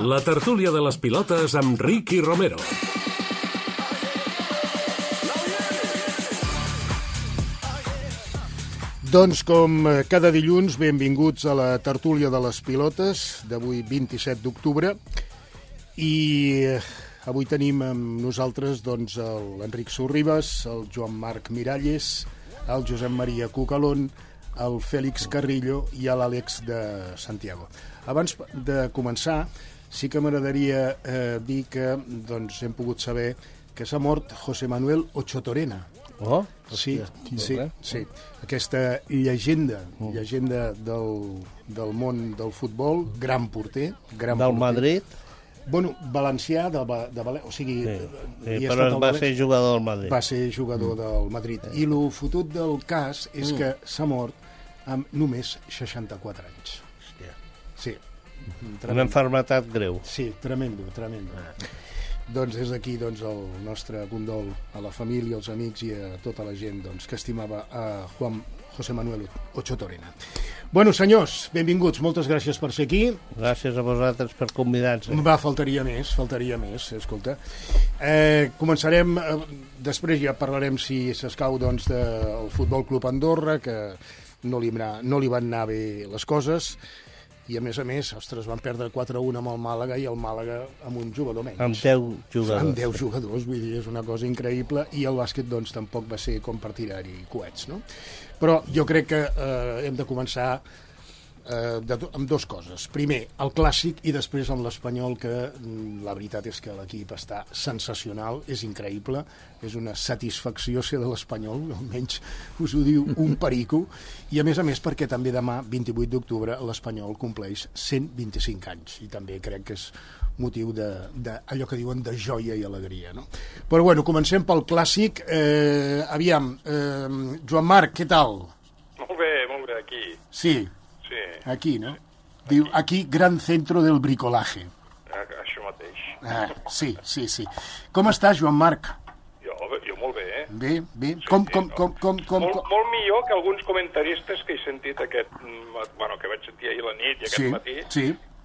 La tertúlia de les pilotes amb Ricky Romero. Doncs com cada dilluns, benvinguts a la tertúlia de les pilotes d'avui 27 d'octubre i avui tenim amb nosaltres doncs, l'Enric Sorribas, el Joan Marc Miralles, el Josep Maria Cucalón, el Fèlix Carrillo i l'Àlex de Santiago. Abans de començar, sí que m'agradaria dir que doncs, hem pogut saber que s'ha mort José Manuel Ochotorena. Oh, sí. Aquesta llegenda del món del futbol, gran porter. Del Madrid? Bueno, valencià, o sigui... Sí, però va ser jugador del Madrid. Va ser jugador del Madrid. I el fotut del cas és que s'ha mort amb només 64 anys. Hòstia. Sí. Una malaltia greu. Sí, tremendo. Doncs des d'aquí el nostre condol a la família, als amics i a tota la gent que estimava a José Manuel Ochotorena. Bueno, senyors, benvinguts, moltes gràcies per ser aquí. Gràcies a vosaltres per convidar-nos. Faltaria més, escolta. Començarem, després ja parlarem si s'escau del Futbol Club Andorra, que no li van anar bé les coses, i a més, ostres, van perdre 4-1 amb el Màlaga i el Màlaga amb un jugador menys. Amb 10 jugadors. Amb 10 jugadors, vull dir, és una cosa increïble, i el bàsquet, tampoc va ser com per tirar-hi coets, no? Però jo crec que hem de començar amb dues coses. Primer, el clàssic, i després amb l'Espanyol, que la veritat és que l'equip està sensacional, és increïble, és una satisfacció ser de l'Espanyol, almenys us ho diu un perico, i a més perquè també demà, 28 d'octubre, l'Espanyol compleix 125 anys, i també crec que és motiu d'allò que diuen de joia i alegria, no? Però bueno, comencem pel clàssic. Aviam, Joan Marc, què tal? Molt bé, aquí. Sí. Aquí, no? Diu, aquí, gran centro del bricolaje. Això mateix. Sí. Com estàs, Joan Marc? Jo molt bé, eh? Bé. Com? Molt millor que alguns comentaristes que he sentit que vaig sentir ahir a la nit i aquest matí,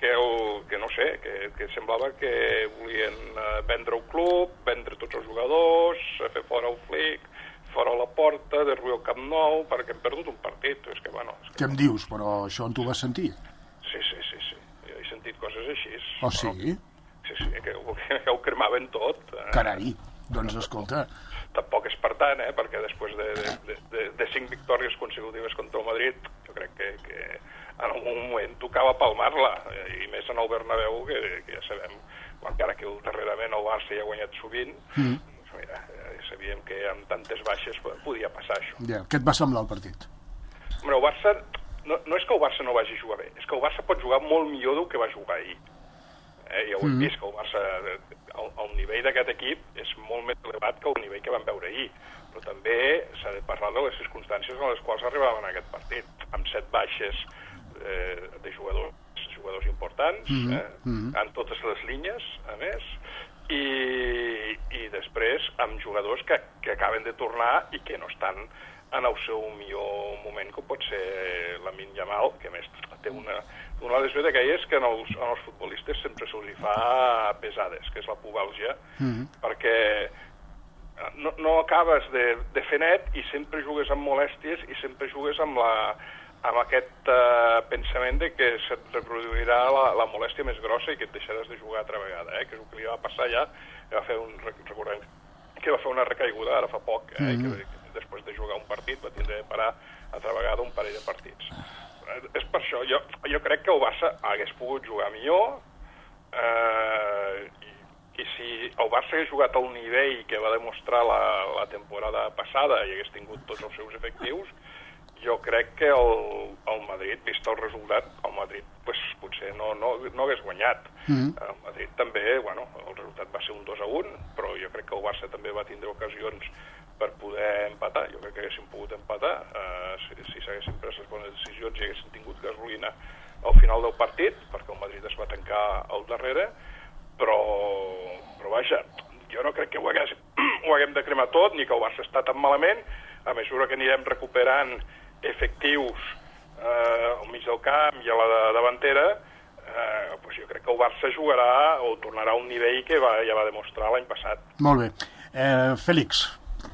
que no sé, que semblava que volien vendre el club, vendre tots els jugadors, fer fora el Flick, fora la porta, derruir el Camp Nou, perquè hem perdut un partit. Què em dius? Però això on t'ho vas sentir? Sí. Jo he sentit coses així. Oh, sí? Sí, que ho cremaven tot. Carai, doncs escolta. Tampoc és per tant, perquè després de 5 victòries consecutives contra el Madrid, jo crec que en algun moment tocava palmar-la, i més en el Bernabéu, que ja sabem, encara que darrerament el Barça ja ha guanyat sovint, mira, sabíem que amb tantes baixes podia passar això. Ja. Què et va semblar el partit? Home, el Barça, no és que el Barça no vagi a jugar bé, és que el Barça pot jugar molt millor del que va jugar ahir. Ja ho hem vist, que el Barça, el nivell d'aquest equip és molt més elevat que el nivell que vam veure ahir, però també s'ha de parlar de les circumstàncies en les quals arribaven a aquest partit, amb 7 baixes de jugadors importants, en totes les línies, a més, i després amb jugadors que acaben de tornar i que no estan en el seu millor moment, com pot ser Lamine Yamal, que a més té una de les aquelles que en els futbolistes sempre se'ls fa pesades, que és la pubàlgia, perquè no acabes de fer net i sempre jugues amb molèsties i sempre jugues amb aquest pensament de que se't reproduirà la molèstia més grossa i que et deixaràs de jugar altra vegada, que és el que li va passar ja. Recordem que va fer una recaiguda ara fa poc, i que després de jugar un partit va tindre de parar altra vegada un parell de partits. És per això, jo crec que el Barça hagués pogut jugar millor, i si el Barça hagués jugat al nivell que va demostrar la temporada passada i hagués tingut tots els seus efectius, jo crec que el Madrid, vist el resultat, el Madrid potser no hagués guanyat. El Madrid també, el resultat va ser un 2-1, però jo crec que el Barça també va tindre ocasions per poder empatar. Jo crec que haguéssim pogut empatar si s'haguessin pres les bones decisions i haguessin tingut gasolina al final del partit, perquè el Madrid es va tancar al darrere, però vaja, jo no crec que ho haguem de cremar tot, ni que el Barça està tan malament. A mesura que anirem recuperant efectius al mig del camp i a la davantera, jo crec que el Barça jugarà o tornarà a un nivell que ja va demostrar l'any passat. Molt bé. Fèlix,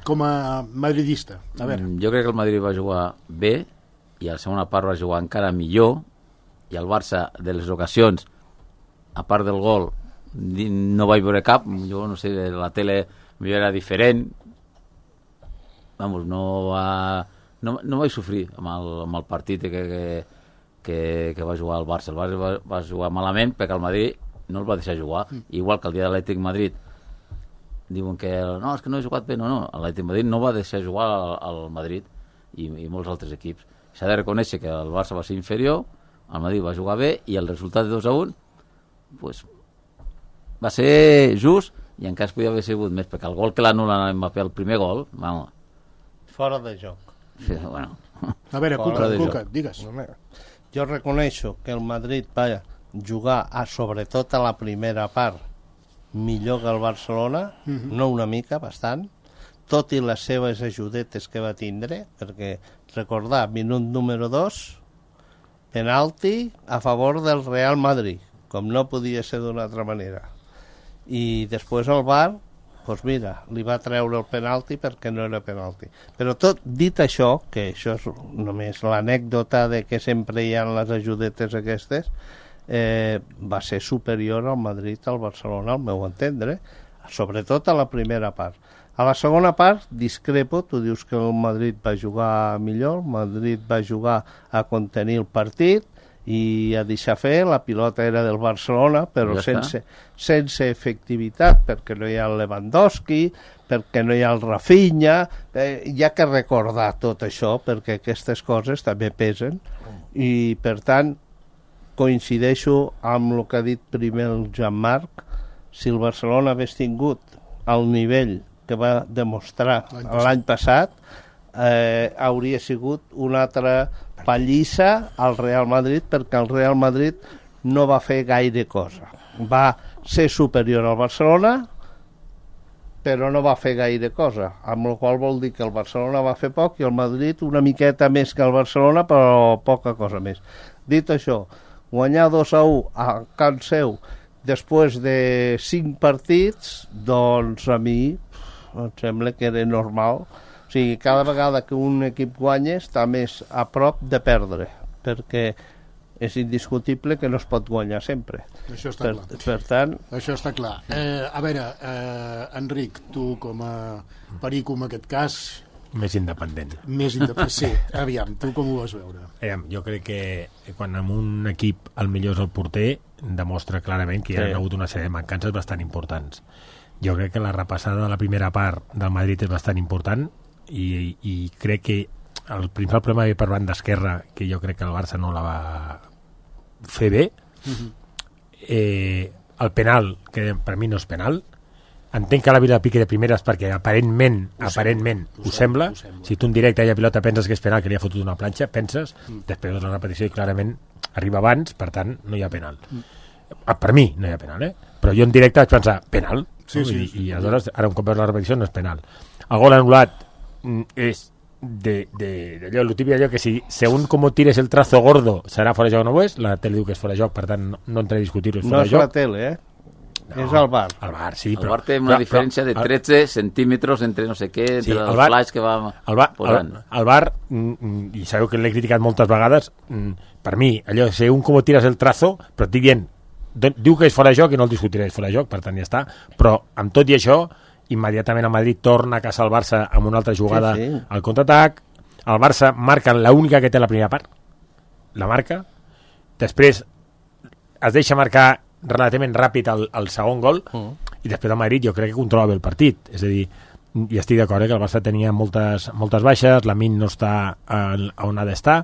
com a madridista, a veure. Jo crec que el Madrid va jugar bé i a la segona part va jugar encara millor, i el Barça, de les ocasions, a part del gol, no vaig veure cap. Jo no sé, la tele millor era diferent. Vamos, no vaig sofrir amb el partit que va jugar el Barça. El Barça va jugar malament perquè el Madrid no el va deixar jugar. Igual que el dia de l'Atlètic Madrid diuen que no, és que no he jugat bé. No, l'Atlètic Madrid no va deixar jugar al Madrid i molts altres equips. S'ha de reconèixer que el Barça va ser inferior, el Madrid va jugar bé i el resultat de 2-1 pues, va ser just, i encara es podia haver sigut més, perquè el gol que l'anul·la Mbappé, el primer gol, vamos. Fora de joc. Bueno. A veure, Cuca, digues. Jo reconeixo que el Madrid va jugar sobretot a la primera part millor que el Barcelona, no una mica, bastant, tot i les seves ajudetes que va tindre, perquè recordar, minut número 2, penalti a favor del Real Madrid, com no podia ser d'una altra manera. I després el VAR, doncs mira, li va treure el penalti perquè no era penalti. Però tot dit això, que això és només l'anècdota de que sempre hi ha les ajudetes aquestes, va ser superior al Madrid al Barcelona, al meu entendre, sobretot a la primera part. A la segona part, discrepo, tu dius que el Madrid va jugar millor, el Madrid va jugar a contenir el partit i a deixar fer, la pilota era del Barcelona, però sense efectivitat, perquè no hi ha el Lewandowski, perquè no hi ha el Rafinha, hi ha que recordar tot això, perquè aquestes coses també pesen, i per tant, coincideixo amb el que ha dit primer el Jean-Marc. Si el Barcelona hagués tingut el nivell que va demostrar l'any passat, hauria sigut una altra pallissa al Real Madrid, perquè el Real Madrid no va fer gaire cosa. Va ser superior al Barcelona, però no va fer gaire cosa, amb la qual vol dir que el Barcelona va fer poc i el Madrid una miqueta més que el Barcelona, però poca cosa més. Dit això, guanyar 2-1 a can seu després de 5 partits, doncs a mi em sembla que era normal. O sigui, cada vegada que un equip guanya està més a prop de perdre, perquè és indiscutible que no es pot guanyar sempre. Això està clar. Per tant... Això està clar. A veure, Enric, tu com a perico en aquest cas... Més independent. Sí, aviam, tu com ho vas veure? Jo crec que quan en un equip el millor és el porter, demostra clarament que hi ha hagut una sèrie de mancances bastant importants. Jo crec que la repassada de la primera part del Madrid és bastant important i crec que el principal problema ve per banda esquerra, que jo crec que el Barça no la va fer bé. El penal, que per mi no és penal, entenc que la Vila pique de primeres perquè aparentment ho sembla. Si tu en directe a la pilota penses que és penal, que li ha fotut una planxa, penses, després de la repetició i clarament arriba abans, per tant no hi ha penal. Per mi no hi ha penal, però jo en directe vaig pensar, penal? I aleshores, ara un cop veus la repetició, no és penal. El gol anul·lat és d'allò, el típic allò que si según com tires el trazo gordo serà fora de joc o no ho és, la tele diu que és fora de joc, per tant no entraré a discutir-ho, és fora de joc. No és la tele, no, és el VAR. El VAR, sí, el VAR té una diferència de 13 centímetres entre no sé què, entre el flash que va posant. El VAR, i sabeu que l'he criticat moltes vegades, per mi, allò, según com tires el trazo, però et dic dient, diu que és fora de joc i no el discutiré, és fora de joc, per tant ja està, però amb tot i això immediatament el Madrid torna a caçar el Barça amb una altra jugada al contraatac. El Barça marca l'única que té la primera part, la marca, després es deixa marcar relativament ràpid el segon gol i després el Madrid jo crec que controla bé el partit, és a dir, i estic d'acord que el Barça tenia moltes baixes, Lamine no està on ha d'estar,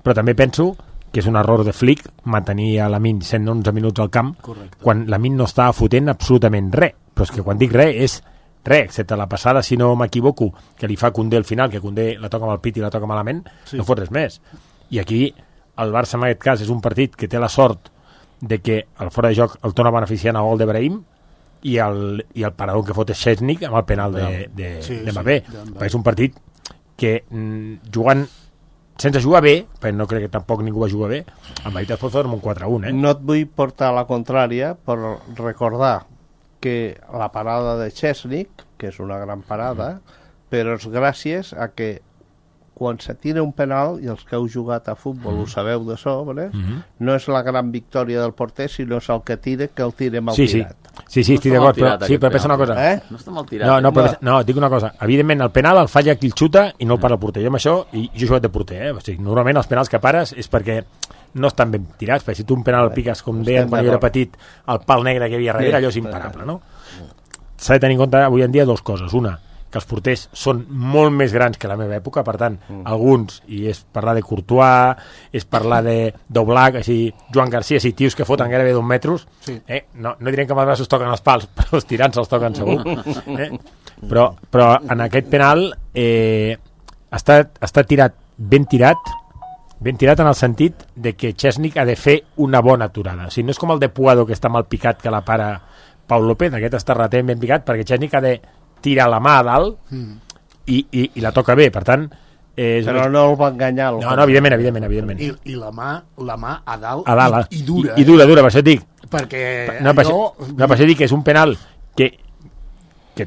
però també penso que és un error de Flick mantenir a Lamine 111 minuts al camp. Correcte. Quan Lamine no estava fotent absolutament res, però és que quan dic res és res, excepte la passada, si no m'equivoco, que li fa Koundé al final, que Koundé la toca amb el pit i la toca malament, no fot res més. I aquí el Barça en aquest cas és un partit que té la sort de que el fora de joc el torna beneficiant a gol de Brahim i el parador que fot és Szczesnik amb el penal de Mbappé. És un partit que jugant sense jugar bé, perquè no crec que tampoc ningú va jugar bé, el Madrid es pot fer un 4-1, No et vull portar a la contrària, però recordar que la parada de Chesnik, que és una gran parada, però és gràcies a que quan se tira un penal, i els que heu jugat a futbol ho sabeu de sobre, no és la gran victòria del porter, sinó és el que tira, que el tira mal tirat. Sí, estic d'acord, però pensa una cosa. No està mal tirat. No, dic una cosa. Evidentment, el penal el falla qui el xuta i no el para el porter. Jo amb això, i jo he jugat de porter, O sigui, normalment els penals que pares és perquè no estan ben tirats, perquè si tu un penal el piques, com deien quan jo era petit, el pal negre que hi havia darrere, allò és imparable, no? S'ha de tenir en compte avui en dia dues coses. Una, que els porters són molt més grans que la meva època, per tant, alguns, i és parlar de Courtois, és parlar d'Oblak, així, Joan Garcia, així, tios que foten gairebé 2 metres, no direm que amb els braços toquen els pals, però els tirants se'ls toquen segur. Però en aquest penal està tirat, ben tirat en el sentit de que Chesnik ha de fer una bona aturada. O sigui, no és com el de Puado, que està mal picat, que la para Pau López, aquest està relativament ben picat, perquè Chesnik ha de tirar la mà a dalt i la toca bé, per tant però no el va enganyar no, evidentment. I la mà a dalt, i dura. I dura, per això et dic perquè per això dic que és un penal que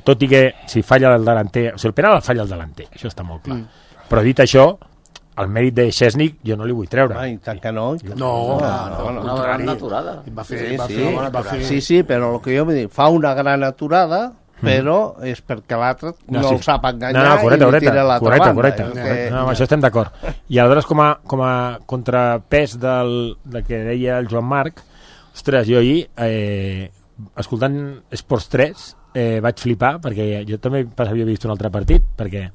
tot i que si falla el delanter, o sigui, el penal el falla el delanter, això està molt clar, però dit això, el mèrit de Chesnik jo no li vull treure. Ai, tant que no. Una gran aturada. Sí, però el que jo vull dir, fa una gran aturada, però és perquè l'altre no el sap enganyar i li tira l'altra banda. Correcte. Amb això estem d'acord. I aleshores, com a contrapès del que deia el Joan Marc, ostres, jo ahir, escoltant Esports 3, vaig flipar, perquè jo també havia vist un altre partit, perquè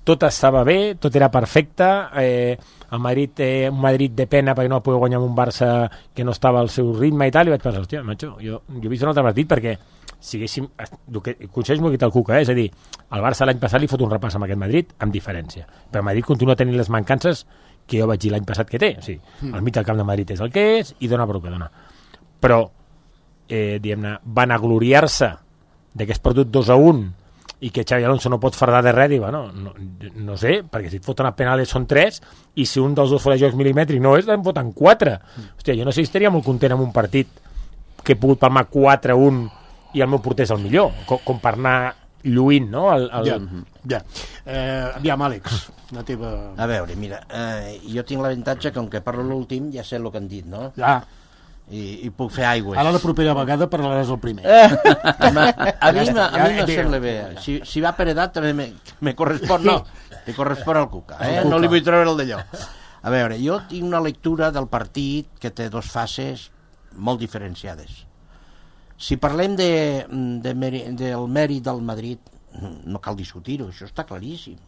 tot estava bé, tot era perfecte, el Madrid un Madrid de pena perquè no va poder guanyar amb un Barça que no estava al seu ritme i tal, i vaig pensar, hòstia, macho, jo he vist un altre partit perquè si haguéssim, coneixes molt el Cuca, és a dir, el Barça l'any passat li fot un repàs amb aquest Madrid, amb diferència, però el Madrid continua tenint les mancances que jo vaig dir l'any passat que té, o sigui, el mig del camp de Madrid és el que és i dona per el que dona, però diguem-ne, van agloriar-se de que es perdut 2-1 i que Xavi Alonso no pot fardar de res, i bueno, no sé, perquè si et foten a penales són 3, i si un dels dos fora de jocs mil·limètric no és, en foten 4. Hòstia, jo no sé si estaria molt content amb un partit que he pogut palmar 4-1 i el meu porter és el millor, com per anar lluint, no? Ja. Aviam, Àlex, la teva... A veure, mira, jo tinc l'avantatge que, com que parlo l'últim, ja sé el que han dit, no? I puc fer aigües. Ara la propera vegada parlaràs el primer. A mi no sembla bé. Si va per edat també me correspon, no, li correspon al Cuca, no li vull treure el d'allò. A veure, jo tinc una lectura del partit que té dues fases molt diferenciades. Si parlem del mèrit del Madrid, no cal discutir-ho, això està claríssim.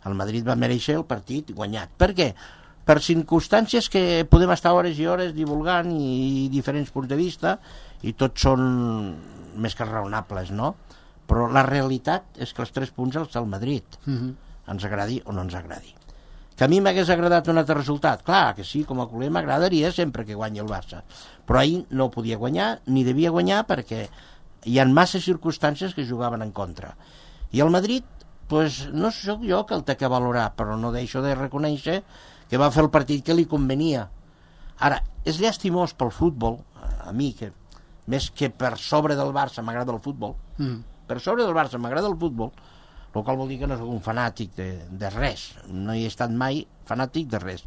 El Madrid va mereixer el partit guanyat. Per què? Per circumstàncies que podem estar hores i hores divulgant i diferents punts de vista, i tots són més que raonables, no? Però la realitat és que els 3 punts els té el Madrid, ens agradi o no ens agradi. Que a mi m'hagués agradat un altre resultat, clar que sí, com a culer m'agradaria sempre que guanyi el Barça, però ahir no podia guanyar ni devia guanyar perquè hi ha massa circumstàncies que jugaven en contra, i el Madrid, pues, no sóc jo que el té que valorar, però no deixo de reconèixer que va fer el partit que li convenia. Ara, és llastimós pel futbol, a mi, que més que per sobre del Barça m'agrada el futbol, per sobre del Barça m'agrada el futbol, el qual vol dir que no soc un fanàtic de res, no hi he estat mai fanàtic de res,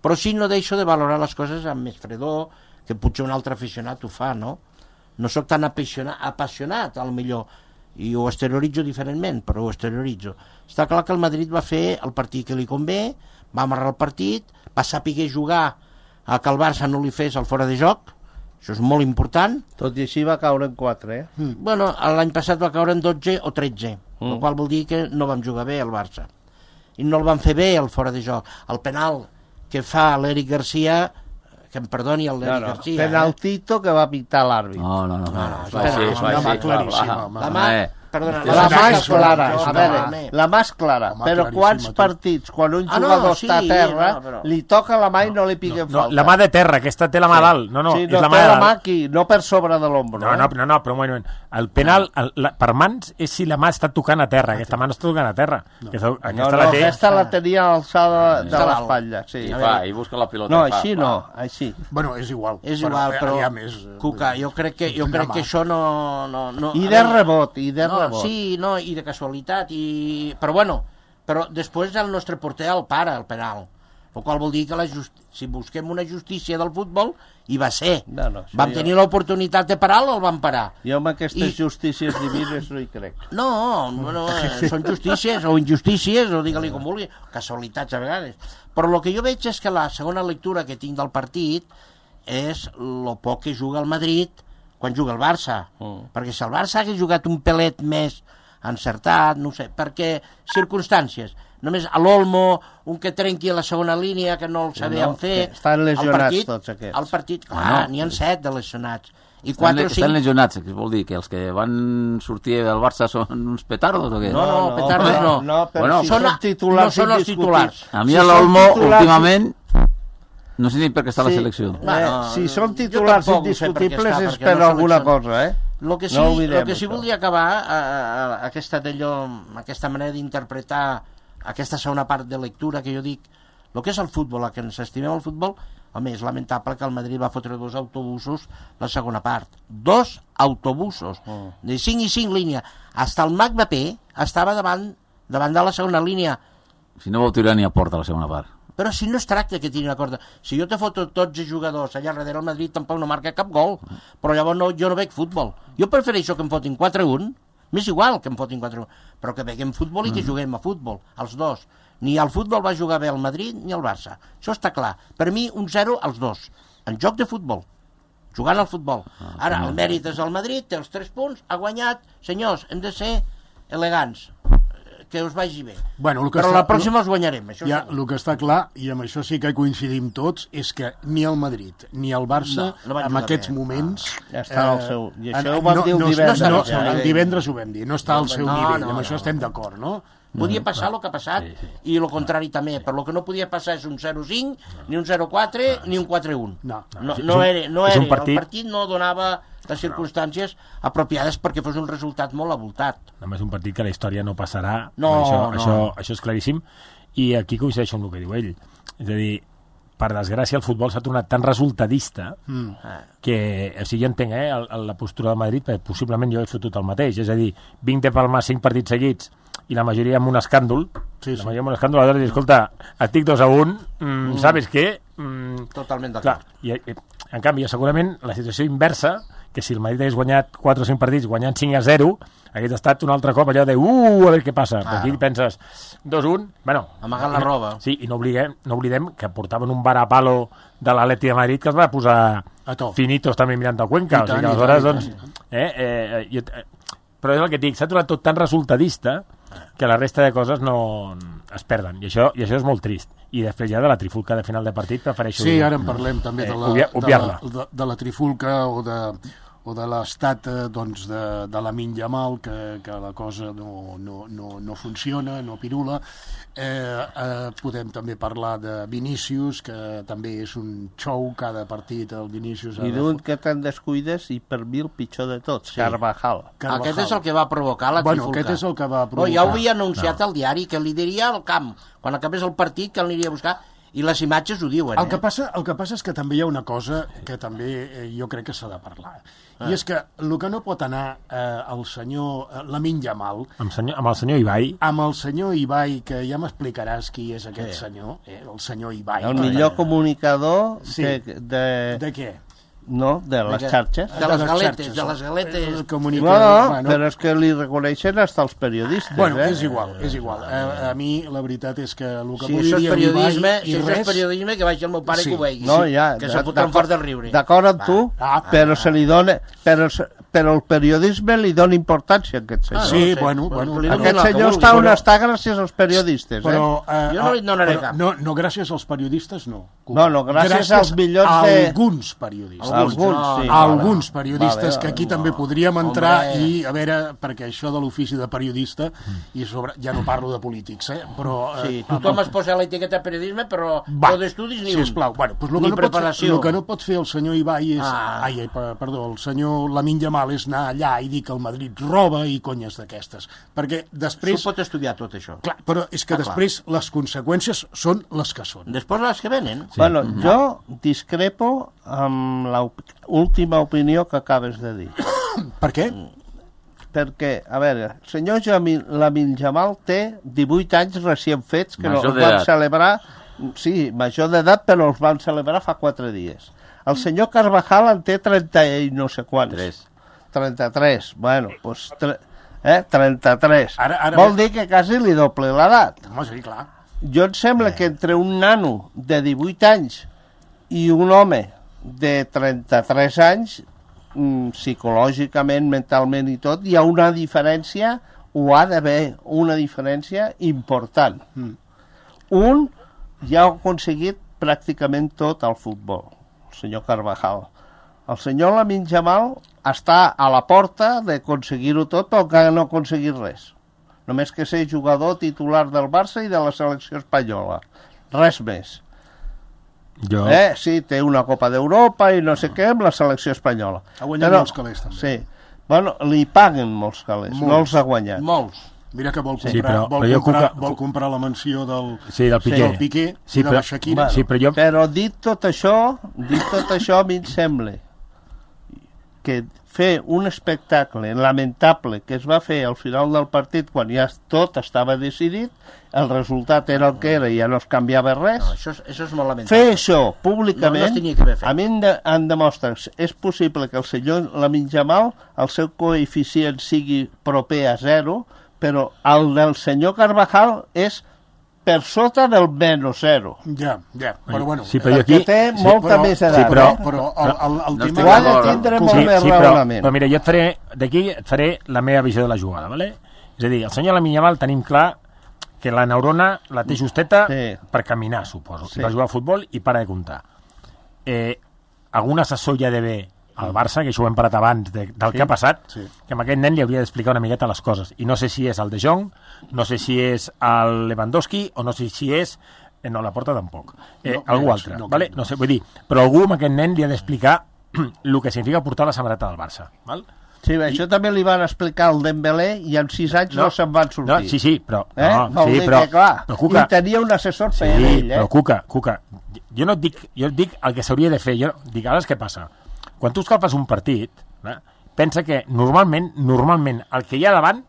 però sí no deixo de valorar les coses amb més fredor, que potser un altre aficionat ho fa, no? No sóc tan apassionat, al millor, i ho exterioritzo diferentment, però ho exterioritzo. Està clar que el Madrid va fer el partit que li convé, va amarrar el partit, va saber jugar a que el Barça no li fes el fora de joc, això és molt important. Tot i així va caure en 4, Bueno, l'any passat va caure en 12 o 13, el qual vol dir que no vam jugar bé el Barça. I no el van fer bé el fora de joc. El penal que fa l'Eric Garcia, que em perdoni el l'Eric Garcia. Penaltito que va pintar l'àrbit. No. Perdona, La mà és clara, jo, a veure, home. la mà és clara, Home, però claríssima, quants tu. partits, quan un Ah, no, jugador sí, està a terra, no, però- li toca la mà i no li piguen No, falta? la mà de terra, aquesta té la mà dalt. No, sí, és no, la té mà de la dalt. mà aquí, no per sobre de l'ombro. No, però un moment. El penal, per mans, és si la mà està tocant a terra. Aquesta mà no està tocant a terra. Aquesta la té... Aquesta la tenia alçada de Està dalt. l'espatlla, sí. I fa, i busca la pilota. No, i fa, així fa. no, així. Bueno, és igual. És igual, però, aviam, Cuca, jo crec que això no... I de rebot, i de No, rebot. sí, no, i de casualitat, però bueno, però després el nostre porter el para, el penal. El qual vol dir que si busquem una justícia del futbol, hi va ser. No, Vam tenir l'oportunitat de parar-lo, el vam parar. Jo amb aquestes justícies divines no hi crec. No, són justícies o injustícies, o digue-li com vulgui, casualitats a vegades. Però el que jo veig és que la segona lectura que tinc del partit és el poc que juga el Madrid quan juga el Barça. Perquè si el Barça hagués jugat un pelet més encertat, no ho sé, perquè circumstàncies. Només a l'Olmo, un que trenqui a la segona línia, que no el sabíem fer... Estan lesionats tots aquests. El partit, clar, n'hi ha 7 de lesionats. I 4 o 5... Estan lesionats, que vol dir que els que van sortir del Barça són uns petardos o què? No, petardos no. No, però Bueno, si són titulars no són els titulars. A mi Si l'Olmo, són titulars- últimament, no sé ni per què està a la selecció. Si són titulars jo tampoc no sé per què indiscutibles està, és perquè per no alguna selecciona. cosa, eh? El que sí, No oblidem sí això. volia acabar, aquesta manera d'interpretar aquesta segona part de lectura que jo dic, el que és el futbol, el que ens estimem el futbol, home, és lamentable que el Madrid va fotre 2 autobusos la segona part. 2 autobusos, de 5 i 5 línies. Hasta el Mbappé estava davant de la segona línia. Si no vau tirar ni a porta la segona part. Però si no es tracta que tiri una corda. Si jo te foto tots els jugadors allà darrere el Madrid tampoc no marca cap gol. Però llavors jo no veig futbol. Jo prefereixo que em fotin 4-1, m'és igual que em fotin 4-1, però que veiem futbol i que juguem a futbol, els dos. Ni al futbol va jugar bé el Madrid ni el Barça. Això està clar. Per mi, 1-0 als dos. En joc de futbol. Jugant al futbol. Ara, el mèrit és el Madrid, té els 3 punts, ha guanyat. Senyors, hem de ser elegants. Que us vagi bé. Bueno, però la pròxima els guanyarem. Això ja, el que està clar, i amb això sí que coincidim tots, és que ni el Madrid ni el Barça, no van en jugar aquests bé. moments... Ja està al seu... I això ho vam dir el divendres. El divendres ho vam dir, no està al seu nivell, amb això estem d'acord, no? Podia passar el que ha passat i el contrari també, però el que no podia passar és un 0-5, ni un 0-4, ni un 4-1. No era, el partit no donava les circumstàncies apropiades perquè fos un resultat molt avoltat. Només un partit que la història no passarà, no. Això és claríssim, i aquí coincideixo amb el que diu ell. És a dir, per desgràcia el futbol s'ha tornat tan resultadista que, o sigui, jo entenc la postura del Madrid, perquè possiblement jo he fotut el mateix, és a dir, vinc de palmar 5 partits seguits i la majoria amb un escàndol, la majoria amb un escàndol, aleshores, escolta, estic 2-1, ¿sabes què? Totalment d'acord. I en canvi, segurament, la situació inversa, que si el Madrid hagués guanyat 4 o 5 partits guanyant 5-0, hagués estat un altre cop allò de a veure què passa. Però aquí penses 2-1, bueno... Amagant la roba. Sí, i no oblidem que portaven un varapalo de l'Atleti de Madrid que es va posar finitos també mirant a Cuenca. O sigui que aleshores, doncs... Però és el que et dic, s'ha tornat tot tan resultadista que la resta de coses no es perden, i això és molt trist. I després ja de la trifulca de final de partit prefereixo... Sí, ara en parlem també de la trifulca o de l'estat doncs, de Lamine Yamal, que la cosa no funciona, no pirula. Podem també parlar de Vinícius, que també és un show cada partit, el Vinícius... I d'un que te'n descuides i per mi el pitjor de tots, Carvajal. Aquest és el que va provocar la trifulca. Aquest és el que va provocar. Ja ho havia anunciat al diari, que li diria al camp, quan acabés el partit, que l'aniria a buscar, i les imatges ho diuen. El que passa és que també hi ha una cosa que també jo crec que s'ha de parlar. I és que el que no pot anar el senyor Lamine Yamal... Amb el senyor Ibai. Amb el senyor Ibai, que ja m'explicaràs qui és aquest senyor, el senyor Ibai. El millor comunicador de què? No, de les xarxes. De les galetes. No, però és que li reconeixen hasta els periodistes. Bueno, és igual. A mi la veritat és que el que volia dir si això és periodisme, que vagi el meu pare i que ho vegi. No, ja, que se fotran fort del riure. D'acord amb tu, però se li dona... Però el periodisme li dona importància a aquest senyor. Sí, bueno. Aquest senyor està on està gràcies als periodistes. Però jo no li donaré cap. No, gràcies als periodistes, no. No, gràcies als millors de... alguns periodistes. alguns periodistes que aquí també podríem entrar i a veure, perquè això de l'ofici de periodista i sobre, ja no parlo de polítics, però... Sí, tothom es posa l'etiqueta periodisme, però no d'estudis ni un. Sisplau, bueno, doncs ni preparació. El que no pot fer el senyor Ibai és... Perdó, el senyor Lamine Yamal és anar allà i dir que el Madrid roba i conyes d'aquestes, perquè després... S'ho pot estudiar tot això. Clar, però és que després les conseqüències són les que són. Després les que venen. Sí. Bueno, jo discrepo amb l'última opinió que acabes de dir. Per què? Perquè, a veure, el senyor Lamine Yamal té 18 anys recient fets que major els van celebrar... Sí, major d'edat, però els van celebrar fa 4 dies. El senyor Carvajal en té 30 i no sé quants. 33. Bueno, doncs... 33. Ara vol dir que quasi li doble l'edat. Home, sí, clar. Jo em sembla que entre un nano de 18 anys i un home de 33 anys, psicològicament, mentalment i tot, hi ha una diferència, o ha d'haver una diferència important. Un ja ha aconseguit pràcticament tot al futbol, el senyor Carvajal. El senyor Lamine Yamal està a la porta d'aconseguir-ho tot, però encara no ha aconseguit res. Només que ser jugador titular del Barça i de la selecció espanyola. Res més. Sí, té una Copa d'Europa i no sé què amb la selecció espanyola. Ha guanyat molts calés, també. Sí. Bueno, li paguen molts calés, no els ha guanyat. Molts. Mira que vol comprar la mansió del Piqué i de la Shakira. Però dit tot això, a mi em sembla que fer un espectacle lamentable que es va fer al final del partit quan ja tot estava decidit, el resultat era el que era i ja no es canviava res. No, això és molt lamentable. Fer això públicament, a mi em demostra és possible que el senyor Lamine Yamal, el seu coeficient sigui proper a 0, però el del senyor Carvajal és per sota del -0. Ja, però bueno... Sí, però perquè té molta més edat. Però el tema... Ho ha de tindre molt més raonament. Però mira, jo et faré la meva visió de la jugada, ¿vale? És a dir, el senyor Lamine Yamal tenim clar que la neurona la té justeta per caminar, suposo, i per jugar a futbol i para de comptar. Algun assessor ja deve al Barça, que això ho hem parat abans del que ha passat, que amb aquest nen li hauria d'explicar una miqueta les coses. I no sé si és el De Jong, no sé si és el Lewandowski, o no sé si és... No, la Porta tampoc. Algú altre, ¿vale? No sé, vull dir, però algú amb aquest nen li ha d'explicar el que significa portar la samarreta del Barça, val? Sí, això també li van explicar al Dembélé i en 6 anys no se'n van sortir. Sí, però... Vol dir que, clar, i tenia un assessor per ell, però Cuca, jo no et dic el que s'hauria de fer, jo dic, ara què passa? Quan tu escalfes un partit, pensa que normalment el que hi ha davant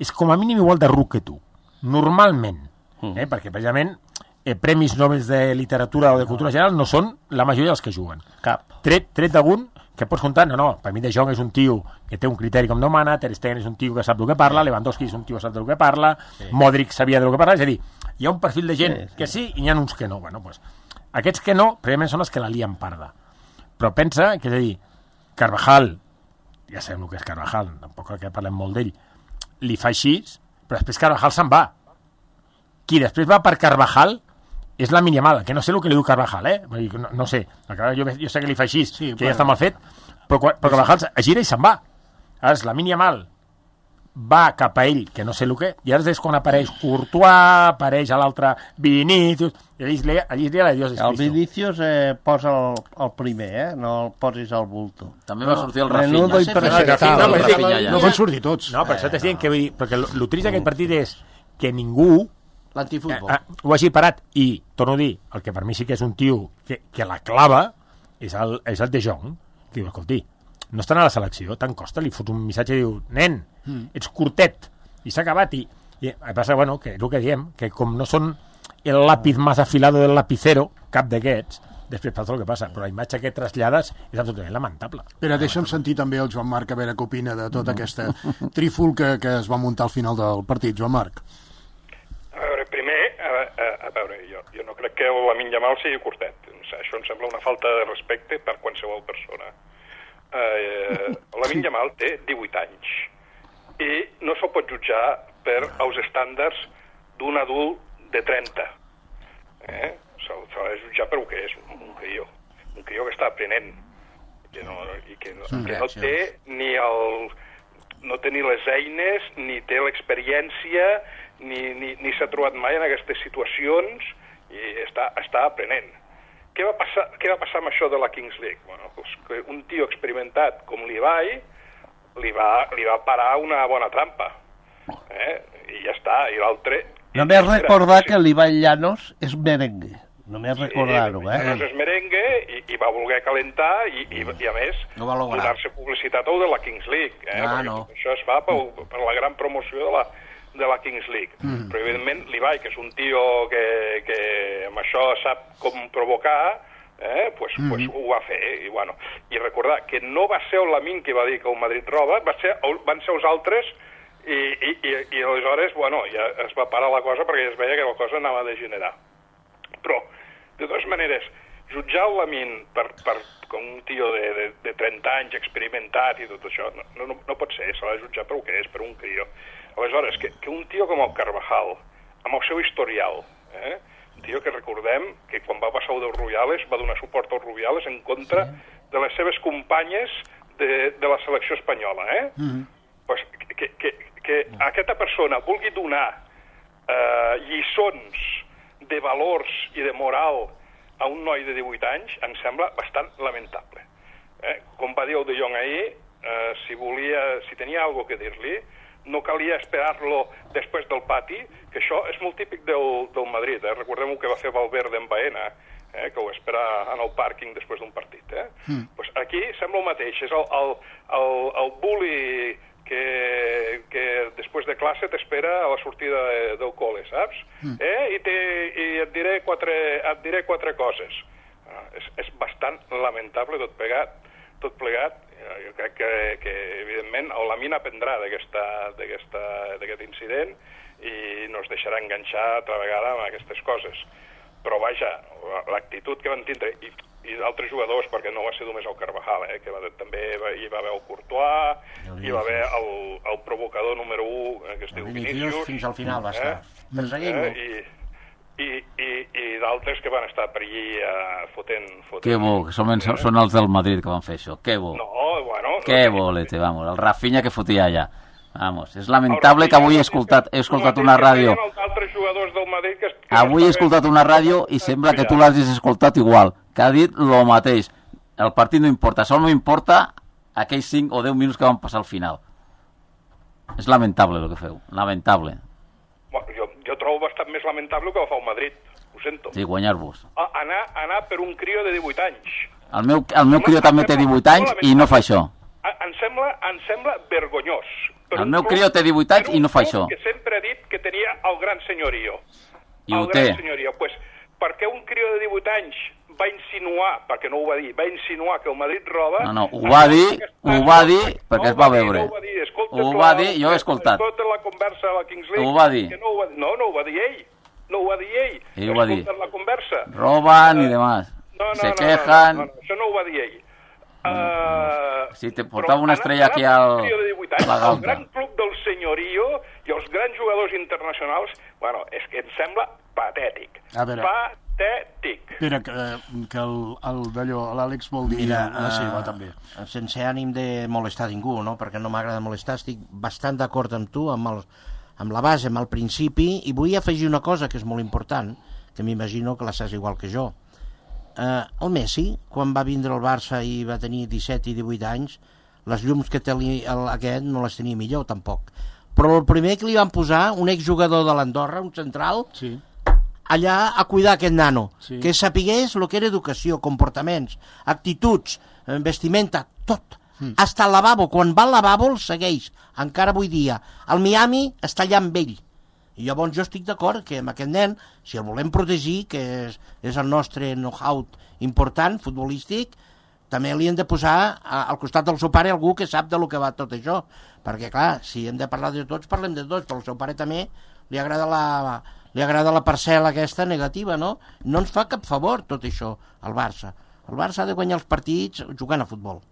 és com a mínim igual de ruc que tu. Normalment. Perquè precisament premis Nobel de literatura o de cultura general no són la majoria dels que juguen. Cap. Tret d'algun que pots comptar, no, per mi De Jong és un tio que té un criteri com demana, Ter Stegen és un tio que sap el que parla, Lewandowski és un tio que sap el que parla, Modric sabia del que parla, és a dir, hi ha un perfil de gent que sí i hi ha uns que no. Bueno, doncs, aquests que no, precisament són els que la lien parda. Però pensa que, és a dir, Carvajal, ja sabem el que és Carvajal, tampoc que parlem molt d'ell, li fa així, però després Carvajal se'n va. Qui després va per Carvajal és Lamine Yamal, que no sé el que li diu Carvajal, no sé, jo sé que li fa així, que ja està mal fet, però Carvajal es gira i se'n va. Ara Lamine Yamal va cap a ell, que no sé el que, i ara és quan apareix Courtois, apareix a l'altre Vinícius, i allí li la Dios és Cristo. El Vinícius posa el primer, no el posis al bulto. També va sortir el Rafinha. No van sortir tots. No, per això t'estic dient que vull dir, perquè el trist d'aquest partit és que ningú l'antifutbol ho hagi parat, i torno a dir, el que per mi sí que és un tio que la clava és el De Jong, que diu, escolti, no estan a la selecció, tant costa, li fots un missatge i diu, nen, ets curtet, i s'ha acabat, i passa, bueno, que és el que diem, que com no són el lápiz más afilado del lapicero, cap d'aquests, després passa el que passa, però la imatge que trasllades és absolutament lamentable. Espera, deixa'm sentir també el Joan Marc, a veure què opina de tota aquesta trifulca que es va muntar al final del partit. Joan Marc. A veure, primer, jo no crec que el Lamine Yamal sigui curtet. Això em sembla una falta de respecte per qualsevol persona. Lamine Yamal té 18 anys i no se'l pot jutjar per els estàndards d'un adult de 30. Se'l ha de jutjar per el que és, un crió que està aprenent. que no té ni no té ni les eines, ni té l'experiència, ni s'ha trobat mai en aquestes situacions i està aprenent. Què va passar amb això de la Kings League? Bueno, doncs que un tio experimentat com l'Ibai li va parar una bona trampa. I ja està, i l'altre... Només recordar que l'Ibai Llanos és merengue. Només recordar-ho, Llanos és merengue i va voler calentar i a més, donar-se publicitat al de la Kings League. Això es fa per la gran promoció de la Kings League. Però, evidentment, l'Ibai, que és un tio que amb això sap com provocar, pues ho va fer. I recordar que no va ser el Lamin que va dir que el Madrid roba, van ser els altres i aleshores, ja es va parar la cosa perquè ja es veia que la cosa anava a degenerar. Però, de totes maneres, jutjar el Lamin com un tio de 30 anys experimentat i tot això, no pot ser, s'ha de jutjar per el que és, per un crio. Aleshores, que un tio com el Carvajal, amb el seu historial, un tio que recordem que quan va passar el dels Rubiales va donar suport als Rubiales en contra de les seves companyes de la selecció espanyola, pues que aquesta persona vulgui donar lliçons de valors i de moral a un noi de 18 anys em sembla bastant lamentable. Com va dir el De Jong ahir, si tenia alguna cosa que dir-li, no calia esperar-lo després del pati, que això és molt típic del Madrid. Recordem el que va fer Valverde en Baena, que ho espera en el pàrquing després d'un partit. Pues aquí sembla el mateix, és el bully que després de classe t'espera a la sortida del col·le, saps? I et diré quatre coses. És bastant lamentable tot plegat. Jo crec que evidentment, el Lamin aprendrà d'aquest incident i no es deixarà enganxar altra vegada amb aquestes coses. Però vaja, l'actitud que van tindre, i d'altres jugadors, perquè no va ser només el Carvajal, que també hi va haver el Courtois, hi va haver el provocador número 1, que es diu Vinícius. Fins al final va estar. I d'altres que van estar per allí fotent... Que bo, que són els del Madrid que van fer això, que bo. Que bo, vamos, el Rafinha que fotia allà. Vamos, és lamentable que avui he escoltat una ràdio. Avui he escoltat una ràdio i sembla que tu l'hagis escoltat igual, que ha dit el mateix. El partit no importa, sol no importa aquells 5 o 10 minuts que van passar al final. És lamentable el que feu, lamentable. Jo trobo bastant més lamentable que ho fa el Madrid, ho sento. Sí, guanyar-vos. Anar per un crio de 18 anys. El meu crio també té 18 anys i no fa això. Em sembla vergonyós. El meu crio té 18 anys i no fa això. Que sempre ha dit que tenia el gran senyorio. I ho té. Pues, perquè un crio de 18 anys va insinuar, perquè no ho va dir, va insinuar que el Madrid roba... No, ho va dir perquè es va veure. Ho va dir, jo he escoltat. Escolta la conversa a la Kings League. Ho va dir. No ho va dir ell. No ho va dir ell. Ell ho va dir. La conversa. Roban i demás. Se quejan. Això no ho va dir ell. Si te portava una estrella aquí al... El gran club del senyorio i els grans jugadors internacionals, és que em sembla patètic. Patètic. Espera, que l'Àlex vol dir la seva, també. Sense ànim de molestar ningú, no? Perquè no m'agrada molestar, estic bastant d'acord amb tu, amb la base, amb el principi, i vull afegir una cosa que és molt important, que m'imagino que la saps igual que jo. El Messi, quan va vindre al Barça i va tenir 17 i 18 anys, les llums que té aquest no les tenia millor, tampoc. Però el primer que li van posar, un exjugador de l'Andorra, un central, allà a cuidar aquest nano, que sapigués el que era educació, comportaments, actituds, vestimenta, tot. Hasta el lavabo, quan va al lavabo el segueix, encara avui dia. El Miami està allà amb ell. I llavors jo estic d'acord que amb aquest nen, si el volem protegir, que és el nostre know-how important, futbolístic, també li hem de posar al costat del seu pare algú que sap de lo que va tot això. Perquè, clar, si hem de parlar de tots, parlem de tots, però al seu pare també li agrada la parcel·la aquesta negativa, no? No ens fa cap favor tot això, al Barça. El Barça ha de guanyar els partits jugant a futbol,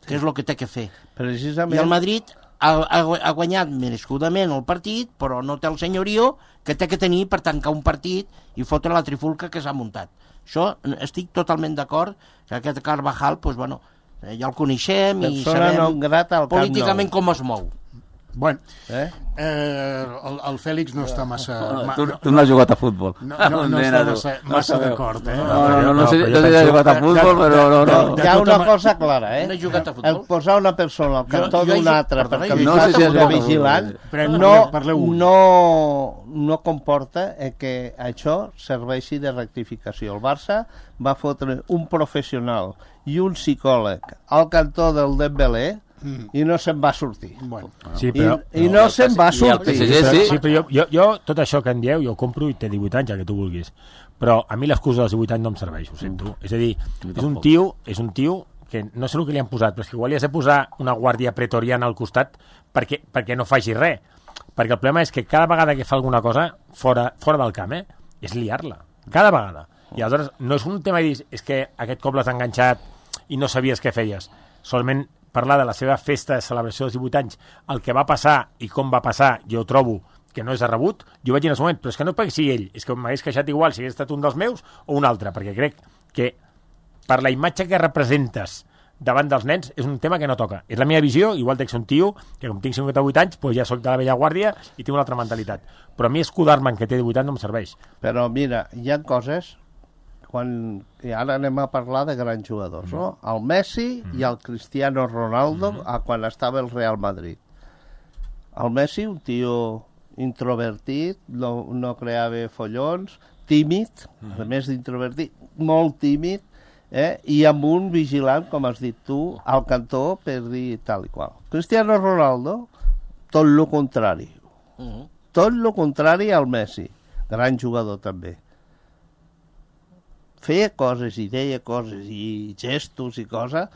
que és el que té que fer. Precisament. I el Madrid ha guanyat merescudament el partit, però no té el senyorio que té que tenir per tancar un partit i fotre la trifulca que s'ha muntat. Això estic totalment d'acord que aquest Carvajal, doncs, bueno, ja el coneixem i Persona non sabem grata al Camp Nou. políticament com es mou. Bueno, Eh? el Fèlix no està massa... Tu no has jugat a futbol. No està massa d'acord, eh? No sé si has jugat a futbol, però no. Hi ha una cosa clara, No he jugat a futbol. El posar una persona al cantó jo he d'una jugat- altra perdona, perquè jo no sé si has de jugat a vigilant futbol. Parleu un. no comporta que això serveixi de rectificació. El Barça va fotre un professional i un psicòleg al cantó del Dembélé i no se'n va sortir. Bueno, Sí, però... I no se'n va I el sortir. PSG sí. Sí, però jo tot això que en dieu, jo ho compro i té 18 anys, el que tu vulguis. Però a mi l'excusa dels 18 anys no em serveix, ho sento. És a dir, és un tio que no sé el que li han posat, però és que igual li has de posar una guàrdia pretoriana al costat perquè no faci res. Perquè el problema és que cada vegada que fa alguna cosa fora del camp, és liar-la. Cada vegada. I aleshores no és un tema de dir és que aquest cop l'has enganxat i no sabies què feies. Solament parlar de la seva festa de celebració dels 18 anys, el que va passar i com va passar, jo trobo que no és de rebut, jo vaig dir en el moment, però és que no perquè sigui ell, és que m'hagués queixat igual si hagués estat un dels meus o un altre, perquè crec que per la imatge que representes davant dels nens és un tema que no toca. És la meva visió, igual que un tio que com tinc 58 anys, doncs ja soc de la vella guàrdia i tinc una altra mentalitat. Però a mi escudar-me en que té 18 anys no em serveix. Però mira, hi ha coses i ara anem a parlar de grans jugadors, no? El Messi i el Cristiano Ronaldo quan estava el Real Madrid. El Messi, un tio introvertit, no creava follons, tímid, a més d'introvertit, molt tímid, i amb un vigilant, com has dit tu, al cantó per dir tal i qual. Cristiano Ronaldo, tot lo contrari. Tot lo contrari al Messi. Gran jugador també. Feia coses i deia coses i gestos i coses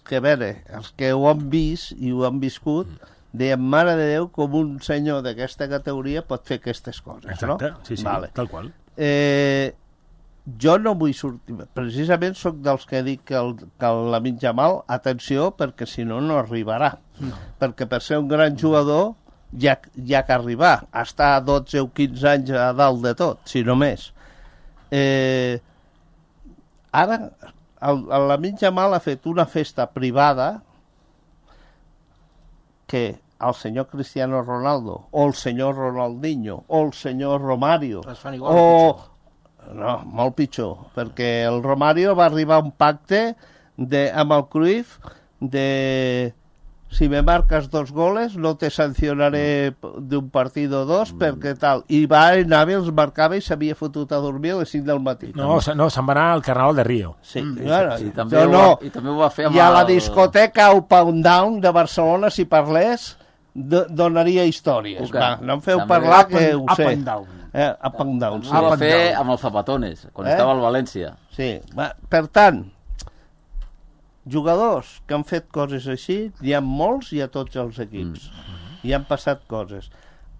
que, a veure, els que ho han vist i ho han viscut deien, mare de Déu, com un senyor d'aquesta categoria pot fer aquestes coses. Exacte, no? sí, Vale. tal qual. Jo no vull sortir... Precisament sóc dels que dic que Lamine Yamal, atenció, perquè si no, no arribarà. Perquè per ser un gran jugador hi ha que arribar. Estar 12 o 15 anys a dalt de tot, si no més. Ara, el Lamine Yamal ha fet una festa privada que el senyor Cristiano Ronaldo o el senyor Ronaldinho o el senyor Romario Es fan igual o pitjor. No, molt pitjor, perquè el Romario va arribar a un pacte amb el Cruyff de si me marcas 2 goles no te sancionaré d'un partit o 2 perquè tal, i va anar, els marcava i s'havia fotut a dormir a les 5 del matí. No, se'n va anar al Carnaval de Rio. Sí, bueno, I també ho va fer amb i a la discoteca Up and Down de Barcelona, si parlés, donaria històries. Okay. Va, no em feu També parlar, que ho up sé. and down. Up and Down, sí. Ho va fer amb els Zapatones, quan estava al València. Sí, per tant, jugadors que han fet coses així, hi ha molts i a tots els equips. I han passat coses.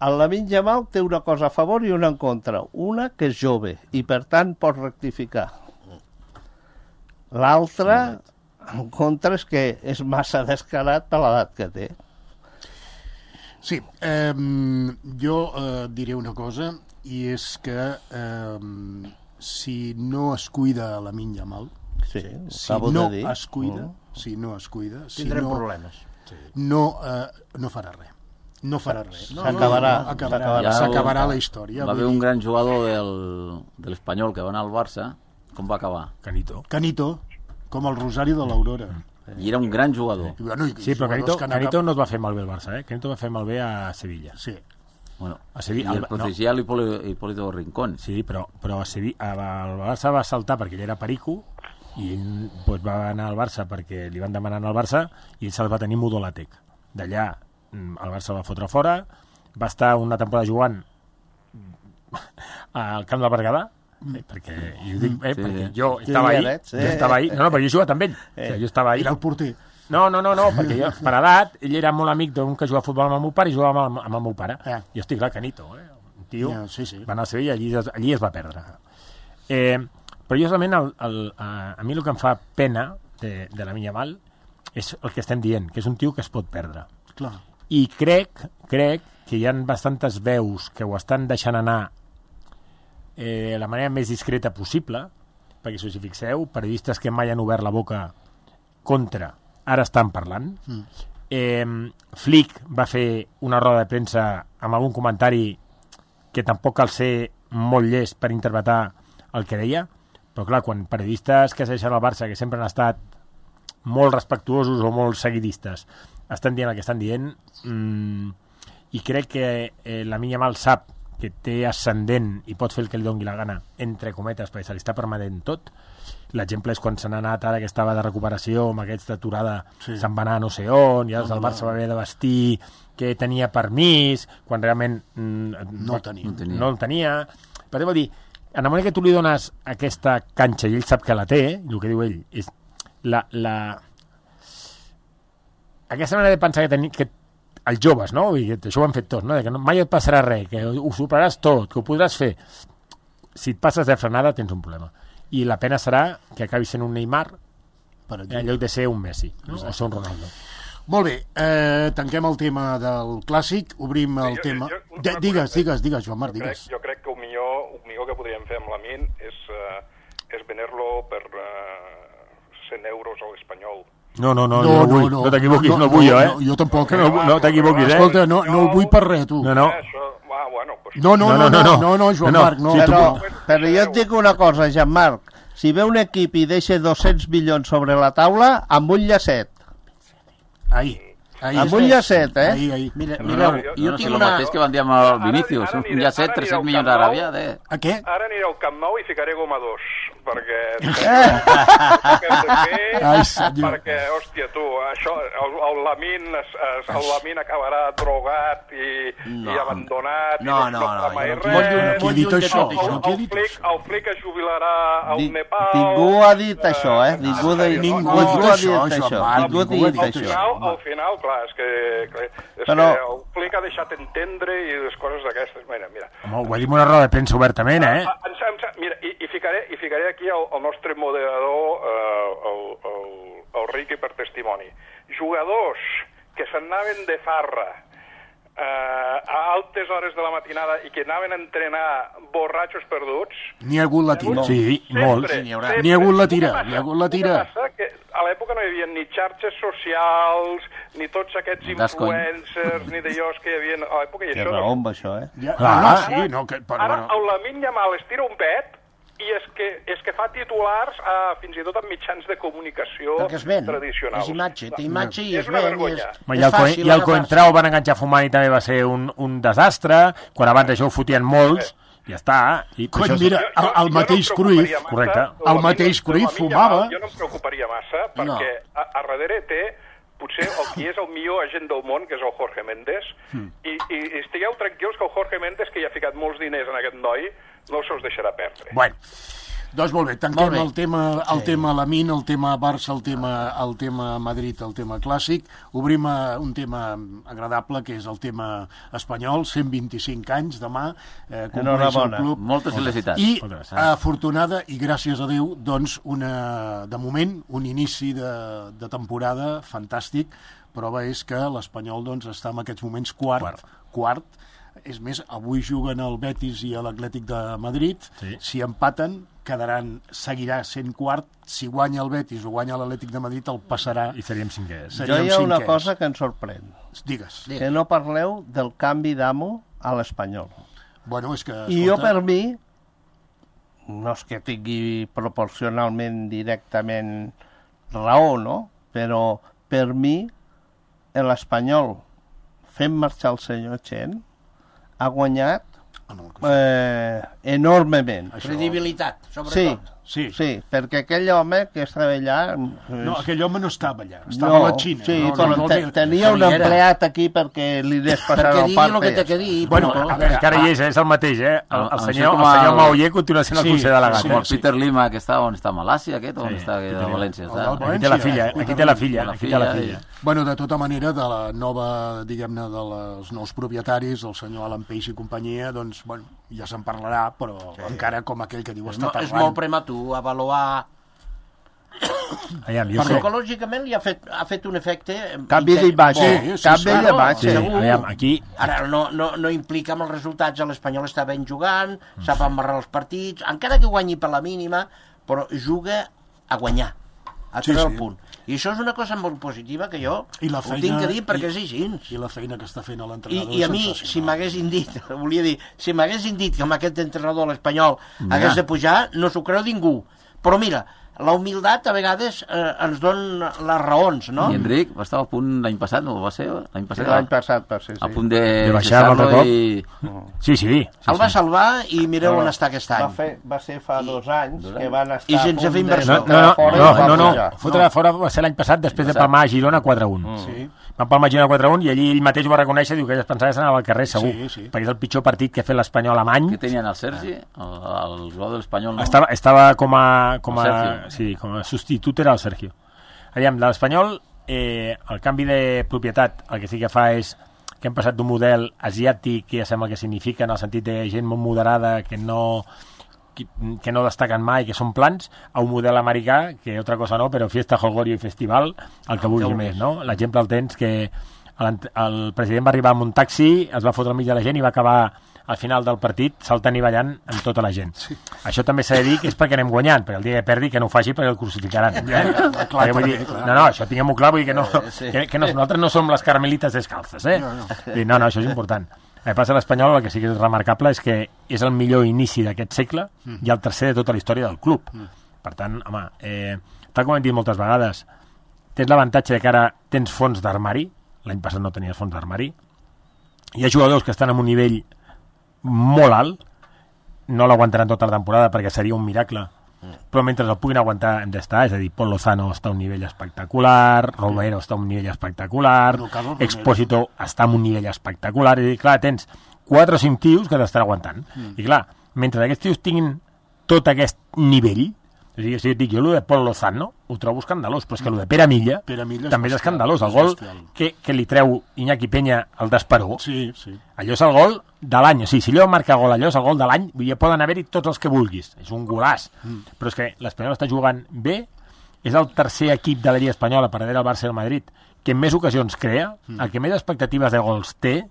El Lamine Yamal té una cosa a favor i una en contra. Una, que és jove, i per tant pot rectificar. L'altra, en contra, és que és massa descarat per l'edat que té. Sí, jo diré una cosa, i és que si no es cuida Lamine Yamal, Sí, si acabo no de dir. es cuida, Tindrem problemes. no farà res. No farà res. S'acabarà la història. Va haver un gran jugador de l'Espanyol que va anar al Barça, com va acabar? Canito, com el Rosario de l'Aurora. I era un gran jugador. Bueno, Sí, però Canito no es va fer malbé al Barça, Canito va fer malbé a Sevilla. Sí. Bueno, A Sevilla, i el protegía l'Hipólito Rincón. Sí, però a Sevilla, el Barça va saltar perquè ell era perico i ell doncs, va anar al Barça perquè li van demanar anar al Barça i ell se'l va tenir mudolàtec. D'allà el Barça va fotre fora, va estar una temporada jugant al camp del Berguedà, perquè, i ho dic, perquè jo estava ahí, no, però jo he jugat amb ell, jo estava ahí. Era el porter. No, perquè jo, per edat, ell era molt amic d'un que jugava a futbol amb el meu pare i jugava amb el meu pare. Jo estic clar, Canito, un tio, va anar a Sevilla i allí es va perdre. Però justament a mi el que em fa pena de Lamine Yamal és el que estem dient, que és un tio que es pot perdre. Clar. I crec que hi ha bastantes veus que ho estan deixant anar la manera més discreta possible perquè si us hi fixeu, periodistes que mai han obert la boca contra, ara estan parlant. Flick va fer una roda de premsa amb algun comentari que tampoc cal ser molt llest per interpretar el que deia, però clar, quan periodistes que segueixen el Barça, que sempre han estat molt respectuosos o molt seguidistes, estan dient el que estan dient, i crec que Lamine Yamal sap que té ascendent i pot fer el que li doni la gana, entre cometes, perquè se li està permetent tot. L'exemple és quan se n'ha anat ara que estava de recuperació amb aquesta aturada, se'n va anar a no sé on, i el Barça va haver de vestir que tenia permís, quan realment no el tenia. Per què vol dir, en el moment que tu li dones aquesta canxa i ell sap que la té, el que diu ell és aquesta manera de pensar que els joves, no? I això ho han fet tots, no? Que mai et passarà res, que ho superaràs tot, que ho podràs fer. Si et passes de frenada tens un problema. I la pena serà que acabi sent un Neymar en lloc de ser un Messi, no? O ser un Ronaldo. Molt bé, tanquem el tema del clàssic, obrim el tema... Digues, Joan Marc, digues. Jo crec que el millor que podríem fer amb Lamine és venir-lo per 100 euros a l'Espanyol. No t'equivoquis, no vull jo, Jo tampoc. No t'equivoquis, Escolta, no el vull per res, tu. No. No, Joan Marc, no. Però jo et dic una cosa, Joan Marc, si ve un equip i deixa 200 milions sobre la taula, amb un llacet. Amb un llacet, Mireu, jo tinc el mateix que van dir amb el Vinícius, un llacet, 300 milions d'Aràbia. A què? Ara aniré al Camp Nou i ficaré goma 2, perquè... perquè, hòstia, tu, això, el Lamine acabarà drogat i abandonat i no farà res. Qui ha dit això? El Flick es jubilarà al Nepal. Ningú ha dit això, Ningú ha dit això. Al final, clar, és que el Flick ha deixat entendre i les coses d'aquestes. Mira. Home, ho ha dit una roda de premsa obertament, Mira, i ficaré aquí el nostre moderador, el Riqui, per testimoni. Jugadors que s'anaven de farra a altes hores de la matinada i que anaven a entrenar borratxos perduts... N'hi ha hagut la tira. Sí, molts. N'hi ha hagut la tira. Que a l'època no hi havia ni xarxes socials, ni tots aquests influencers, ni d'allòs que hi havia a l'època. Té raó amb això, Ara el Lamine Yamal es tira un pet i és que fa titulars fins i tot en mitjans de comunicació tradicionals. És imatge, té imatge i es ven. I el Coentrao van enganxar fumant i també va ser un desastre, quan abans això ho fotien molts, ja està. Mira, el mateix Cruyff, correcte, el mateix Cruyff fumava. Jo no em preocuparia massa, perquè a darrere té potser el qui és el millor agent del món, que és el Jorge Méndez, i estigueu tranquils que el Jorge Méndez, que hi ha ficat molts diners en aquest noi, no se'ls deixarà perdre. Bueno, doncs molt bé, tanquem el tema Lamine, el tema Barça, el tema Madrid, el tema clàssic. Obrim un tema agradable, que és el tema espanyol, 125 anys demà, compleix el club. Moltes felicitats. I afortunada, i gràcies a Déu, doncs, de moment, un inici de temporada fantàstic. Prova és que l'Espanyol doncs, està en aquests moments quart. És més, avui juguen el Betis i l'Atlètic de Madrid. Si empaten, seguirà sent quart. Si guanya el Betis o guanya l'Atlètic de Madrid, el passarà. I seríem cinquers. Jo hi ha una cosa que em sorprèn. Digues. Que no parleu del canvi d'amo a l'Espanyol. Bueno, és que... I jo, per mi, no és que tingui proporcionalment directament raó, no? Però per mi, l'Espanyol, fent marxar el senyor Chen, ha guanyat enormement. Credibilitat, sobretot. Sí, perquè aquell home que estava allà... No, aquell home no estava allà, estava a la Xina. Sí, però tenia un empleat aquí perquè li des passar el part. Perquè digui el que té que dir. Bueno, encara hi és el mateix, El senyor Maoyer continua sent el conseller delegat. Com el Peter Lima, que està on està, a Malàcia, aquest, on està, a València. Aquí té la filla. Bueno, de tota manera, de la nova, diguem-ne, dels nous propietaris, el senyor Alan Peix i companyia, doncs, bueno, ja se'n parlarà, però encara com aquell que diu està parlant. És molt prematur avaluar... Psicològicament li ha fet un efecte... Canvi d'imatge. Aquí... Ara, no implica amb els resultats, l'Espanyol està ben jugant, sap amarrar els partits, encara que guanyi per la mínima, però juga a guanyar, a treure el punt. I això és una cosa molt positiva que jo ho tinc que dir perquè és així. I la feina que està fent l'entrenador I a mi, si m'haguessin dit, si m'haguessin dit que amb aquest entrenador l'Espanyol hagués de pujar, no s'ho creu ningú. Però mira, la humilitat a vegades ens dona les raons, no? I Enric estava a punt l'any passat, no va ser? L'any passat, L'any passat va ser, sí. a punt de baixar l'altre cop. Sí. El va salvar i mireu on està aquest any. Va ser fa 2 anys que van estar I sense fer inversió. No. Fotre fora va ser l'any passat després de palmar a Girona 4-1. Sí. Van palmar a Girona 4-1 i allí ell mateix ho va reconèixer, diu que ell es pensava que s'anava al carrer segur, perquè és el pitjor partit que ha fet l'Espanyol a any. Què tenien el Sergi? El jugador de l'Espanyol, no? Estava com a substitut era el Sergio. Aviam, de l'Espanyol, el canvi de propietat el que sí que fa és que hem passat d'un model asiàtic, que ja sembla que significa en el sentit de gent molt moderada, que no destaquen mai, que són plans, a un model americà, que altra cosa no, però fiesta, jolgorio i festival, el que vulgui més, no? L'exemple el tens que el president va arribar amb un taxi, es va fotre al mig de la gent i va acabar al final del partit saltant i ballant amb tota la gent. Sí. Això també s'ha de dir que és perquè anem guanyant, perquè el dia que perdi que no ho faci perquè el crucificaran. No, això tinguem-ho clar, vull dir que nosaltres no som les carmelites descalces, No, això és important. El que passa a l'Espanyol, el que sí que és remarcable és que és el millor inici d'aquest segle i el tercer de tota la història del club. Per tant, home, tal com hem dit moltes vegades, tens l'avantatge de que ara tens fons d'armari, l'any passat no tenies fons d'armari, hi ha jugadors que estan en un nivell molt alt, no l'aguantaran tota la temporada perquè seria un miracle, però mentre el puguin aguantar hem d'estar, és a dir, Pol Lozano està a un nivell espectacular, Romero està a un nivell espectacular, Expósito està a un nivell espectacular, i clar, tens 4 o 5 tios que t'estan aguantant, i clar, mentre aquests tios tinguin tot aquest nivell, és a dir, si jo el de Pol Lozano ho trobo escandalós, però és que el de Pere Milla també és escandalós, el gol que li treu Iñaki Peña al d'Esperó, allò és el gol de l'any, o sigui, si allò marca gol, allò és el gol de l'any, poden haver-hi tots els que vulguis, és un golàs, però és que l'Espanyol està jugant bé, és el tercer equip de la Lliga Espanyola per darrere del Barça i el Madrid, que més ocasions crea, el que més expectatives de gols té,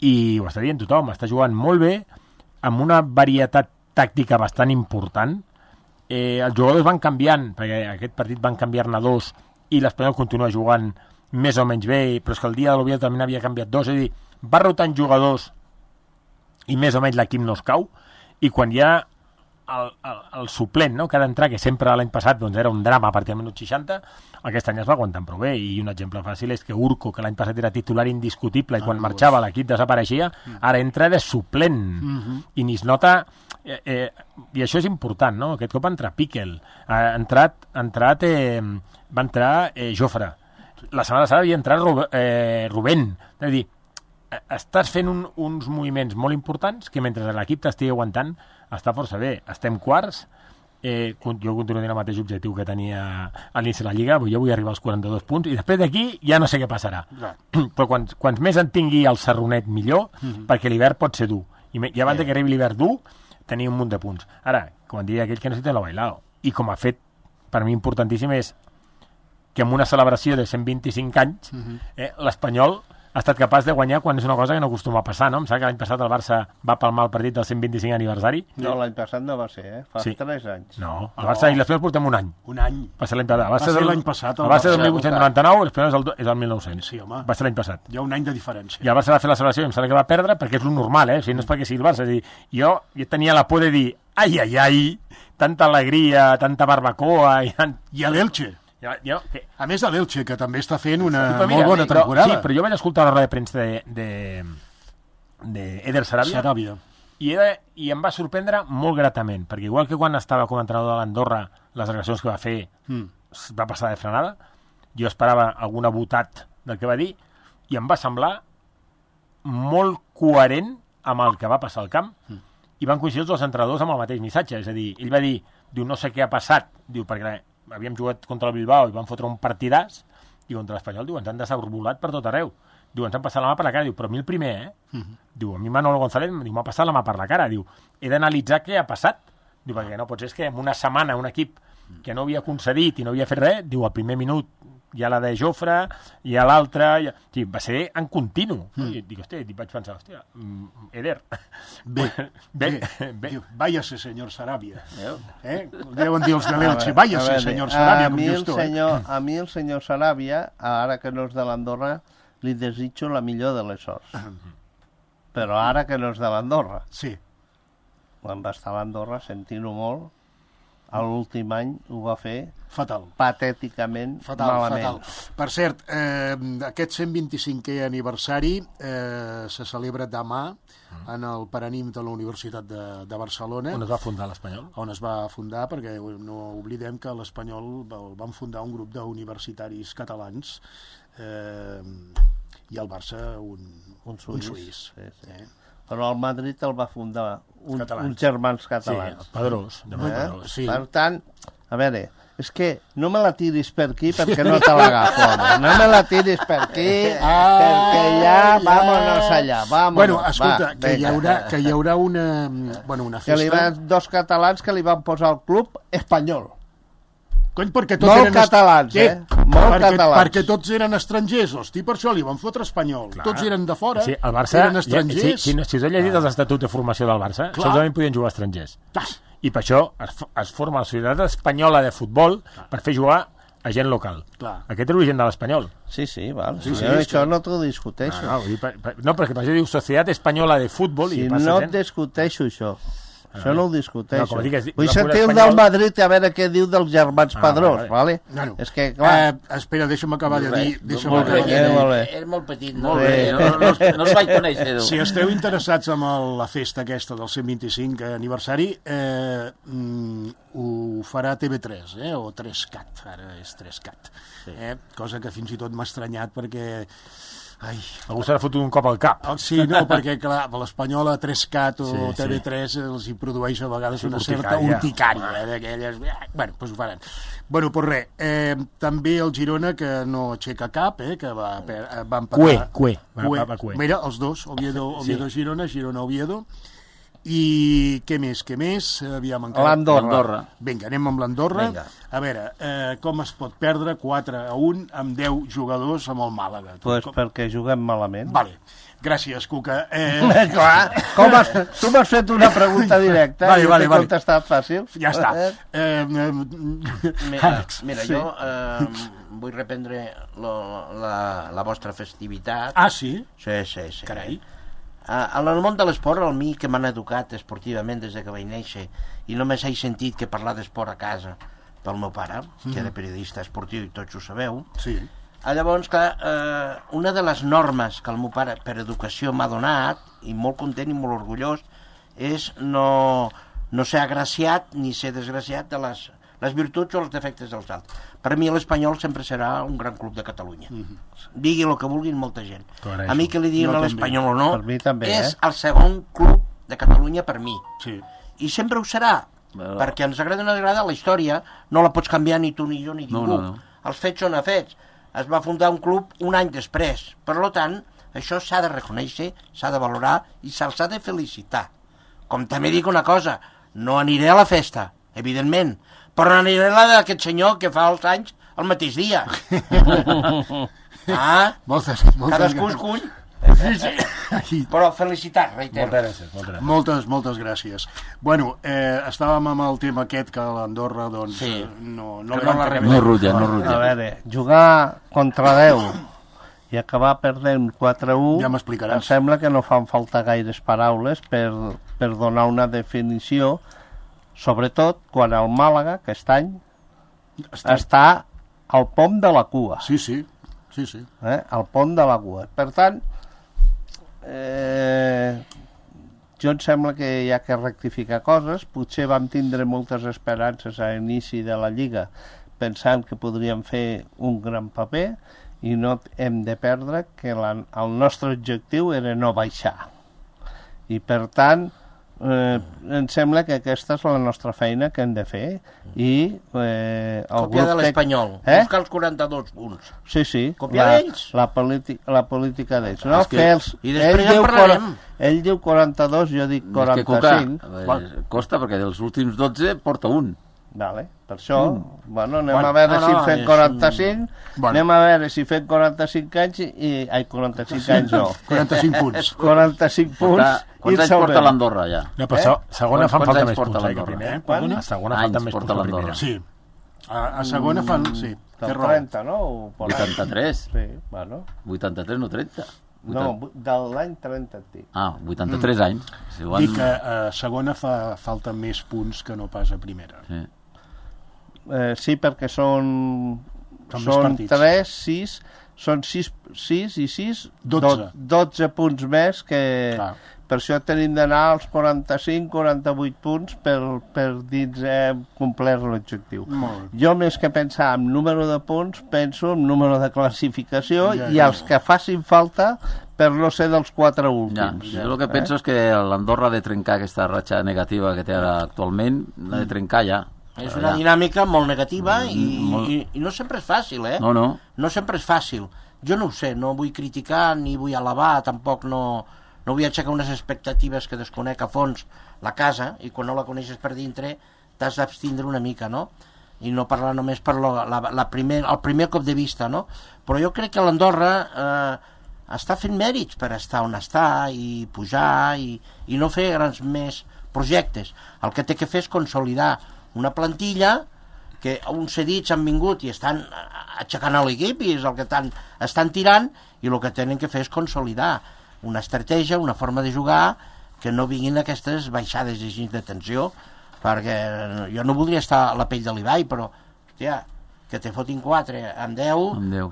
i ho està dient tothom, està jugant molt bé, amb una varietat tàctica bastant important. Els jugadors van canviant, perquè aquest partit van canviar-ne 2 i l'Espanyol continua jugant més o menys bé, però és que el dia de l'Oviedo també n'havia canviat 2, és a dir, va rotant jugadors i més o menys l'equip no es cau, i quan hi ha el suplent, no?, que ha d'entrar, que sempre l'any passat doncs, era un drama a partir del minut 60, aquest any es va aguantant prou bé, i un exemple fàcil és que Urco, que l'any passat era titular indiscutible i quan marxava l'equip desapareixia, ara entra de suplent, i ni es nota, i això és important, no? Aquest cop entra Piquel, va entrar Jofre, la setmana passada havia entrat Rubén, és a dir, estàs fent uns moviments molt importants que mentre l'equip t'estigui aguantant està força bé. Estem quarts, jo continuo tenint el mateix objectiu que tenia a l'inici de la Lliga, jo vull arribar als 42 punts i després d'aquí ja no sé què passarà. Però quants més en tingui el Serronet millor, perquè l'hivern pot ser dur. I abans que arribi l'hivern dur, tenir un munt de punts. Ara, com diria aquell que no se te lo bailado. I com ha fet, per mi importantíssim és que en una celebració de 125 anys l'Espanyol ha estat capaç de guanyar quan és una cosa que no acostuma a passar, no? Em sembla que l'any passat el Barça va palmar el partit del 125 aniversari. No, l'any passat no va ser, Fa 3 anys. No, el Barça i l'Espanyol portem un any. Un any. Va ser l'any passat. Va ser l'any passat. El Barça és el 1899, l'Espanyol és el 1900. Sí, home. Va ser l'any passat. Hi ha un any de diferència. I el Barça va fer la celebració i em sembla que va perdre perquè és lo normal, O sigui, no és perquè sigui el Barça. És dir, jo tenia la por de dir, ai, tanta alegria, tanta barbacoa... I a l'Elche. A més de l'Elche, que també està fent una molt bona temporada. Sí, però jo vaig escoltar la roda de premsa d'Eder Sarabia i em va sorprendre molt gratament, perquè igual que quan estava com a entrenador de l'Andorra, les agressions que va fer va passar de frenada, jo esperava alguna botat del que va dir, i em va semblar molt coherent amb el que va passar al camp, i van coincidir els dos entrenadors amb el mateix missatge, és a dir, ell va dir, no sé què ha passat, perquè havíem jugat contra el Bilbao i van fotre un partidàs, i contra l'Espanyol, ens han desarbolat per tot arreu. Ens han passat la mà per la cara. Però a mi el primer, a mi Manolo González m'ha passat la mà per la cara. He d'analitzar què ha passat. Perquè no pot ser que en una setmana un equip que no havia concedit i no havia fet res, al primer minut hi ha la de Jofre, hi ha l'altra... Sí, va ser en continu. I dic, hòstia, vaig pensar, hòstia, Eder. Bé. Váyase, senyor Sarabia. Deuen dir els de l'Elche, váyase, senyor Sarabia, com dius tu. A mi el senyor Sarabia, ara que no és de l'Andorra, li desitjo la millor de les sorts. Però ara que no és de l'Andorra. Sí. Quan va estar a l'Andorra, sentint-ho molt, l'últim any ho va fer fatal, patèticament malament. Per cert, aquest 125è aniversari se celebra demà en el Paranim de la Universitat de Barcelona. On es va fundar l'Espanyol? On es va fundar, perquè no oblidem que l'Espanyol el van fundar un grup d'universitaris catalans i el Barça un suís. Sí. Però el Madrid el va fundar uns germans catalans. Sí, Pedrós. Sí. Per tant, a veure, és que no me la tiris per aquí perquè no te l'agafo, home. No me la tiris per aquí perquè ja, vámonos allà, vámonos. Bueno, escolta, que hi haurà una festa... Que hi va dos catalans que li van posar al club espanyol. Cony, perquè tots molt eren catalans, catalans. Perquè tots eren estrangers, hosti, per això li van fotre espanyol. Clar. Tots eren de fora, sí, el Barça, eren estrangers. Si us heu llegit els estatuts de formació del Barça, solament podien jugar estrangers. Clar. I per això es forma la Societat Espanyola de Futbol per fer jugar a gent local. Clar. Aquest és l'origen de l'Espanyol. Sí, val. Sí, això no t'ho discuteixo. No, perquè per això diu Societat Espanyola de Futbol. Sí, no discuteixo això. Això no ho discuteixo. No, vull sentir el del Madrid a veure què diu dels germans Pedrós, vale? No. És que, clar... Espera, deixa'm acabar de dir... És molt petit, molt bé. No els vaig conèixer. Si esteu interessats en la festa aquesta del 125 aniversari, ho farà TV3, o 3CAT, ara és 3CAT. Cosa que fins i tot m'ha estranyat perquè... Algú s'ha fotut un cop al cap. Sí, no, perquè clar, l'Espanyola 3CAT o TV3 els hi produeix a vegades una certa urticària d'aquelles... Bueno, doncs ho faran. Bueno, doncs res, també el Girona, que no aixeca cap, que va empatar... Cué. Mira, els dos, Oviedo-Girona, Girona-Oviedo. I què més? Aviam, l'Andorra. Vinga, anem amb l'Andorra. A veure, com es pot perdre 4-1 amb 10 jugadors amb el Màlaga? Pues perquè juguem malament. Vale. Gràcies, Cuca. Clar, tu m'has fet una pregunta directa i t'he contestat fàcil. Ja està. Mira, jo vull reprendre la vostra festivitat. Ah, sí? Sí. Carai. En el món de l'esport, a mi que m'han educat esportivament des que vaig néixer i només he sentit que parlar d'esport a casa pel meu pare, que era periodista esportiu i tots ho sabeu. Sí. Llavors, clar, una de les normes que el meu pare per educació m'ha donat, i molt content i molt orgullós, és no ser agraciat ni ser desgraciat de les virtuts o els defectes dels altres. Per mi l'Espanyol sempre serà un gran club de Catalunya. Digui el que vulguin molta gent. Correcte. A mi que li diguin a l'Espanyol o no, també, és el segon club de Catalunya per mi. Sí. I sempre ho serà, perquè ens agrada o no agrada, la història no la pots canviar ni tu ni jo ni ningú. No. Els fets són fets. Es va fundar un club un any després. Per tant, això s'ha de reconèixer, s'ha de valorar i se'ls ha de felicitar. Com també dic una cosa, no aniré a la festa, evidentment, però aniré a la d'aquest senyor que fa els anys el mateix dia. Cadascú es cull. Sí. Però felicitats, reitero. Moltes gràcies. Bueno, estàvem amb el tema aquest que l'Andorra doncs no rutlla. A veure, jugar contra 10 i acabar perdent 4-1, ja m'explicaràs. Em sembla que no fan falta gaires paraules per donar una definició, sobretot quan el Màlaga, aquest any, està al pom de la cua. Sí. Al pom de la cua. Per tant, jo em sembla que hi ha que rectificar coses. Potser vam tindre moltes esperances a l'inici de la Lliga pensant que podríem fer un gran paper i no hem de perdre que el nostre objectiu era no baixar. I per tant, em sembla que aquesta és la nostra feina que hem de fer i copiar de l'Espanyol, buscar els 42 punts. Sí, copiar d'ells, la política d'ells, no? I després ja parlarem. Ell diu 42, jo dic 45. Costa perquè dels últims 12 porta un. Vale, per això, bueno, anem a veure si fem 45, anem a veure si fem 45 anys i... Ai, 45 anys no. 45 punts. 45 punts. Quants anys porta l'Andorra, ja? No, però segona fan falta més punts, que l'Andorra? primer. A segona falta més punts que primera. Sí. A segona fan... Sí, té raó. 30, no? 83? Sí, bueno. 83, no 30? No, de l'any 30 et dic. 83 anys. Dic que a segona fa falta més punts que no pas a primera. Sí. Sí, perquè són 3, 6, són 6 i 6, 12 punts més que... Clar. Per això tenim d'anar als 45-48 punts per dins complir l'objectiu. Jo, més que pensar en número de punts, penso en número de classificació i els que facin falta per no ser dels 4 últims. Jo el que penso és que l'Andorra ha de trencar aquesta ratxa negativa que té ara actualment, l'ha de trencar ja. És una dinàmica molt negativa i no sempre és fàcil, eh? No. No sempre és fàcil. Jo no ho sé, no vull criticar ni vull alabar, tampoc no vull aixecar unes expectatives que desconec a fons la casa, i quan no la coneixes per dintre t'has d'abstindre una mica, no? I no parlar només per el primer cop de vista, no? Però jo crec que l'Andorra està fent mèrits per estar on està i pujar i no fer grans més projectes. El que té que fer és consolidar una plantilla que uns cedits han vingut i estan aixecant a l'equip i és el que estan tirant, i el que tenen que fer és consolidar una estratègia, una forma de jugar, que no vinguin aquestes baixades de tensió, perquè jo no voldria estar a la pell de l'Ibai, però hòstia, que te fotin 4 amb 10,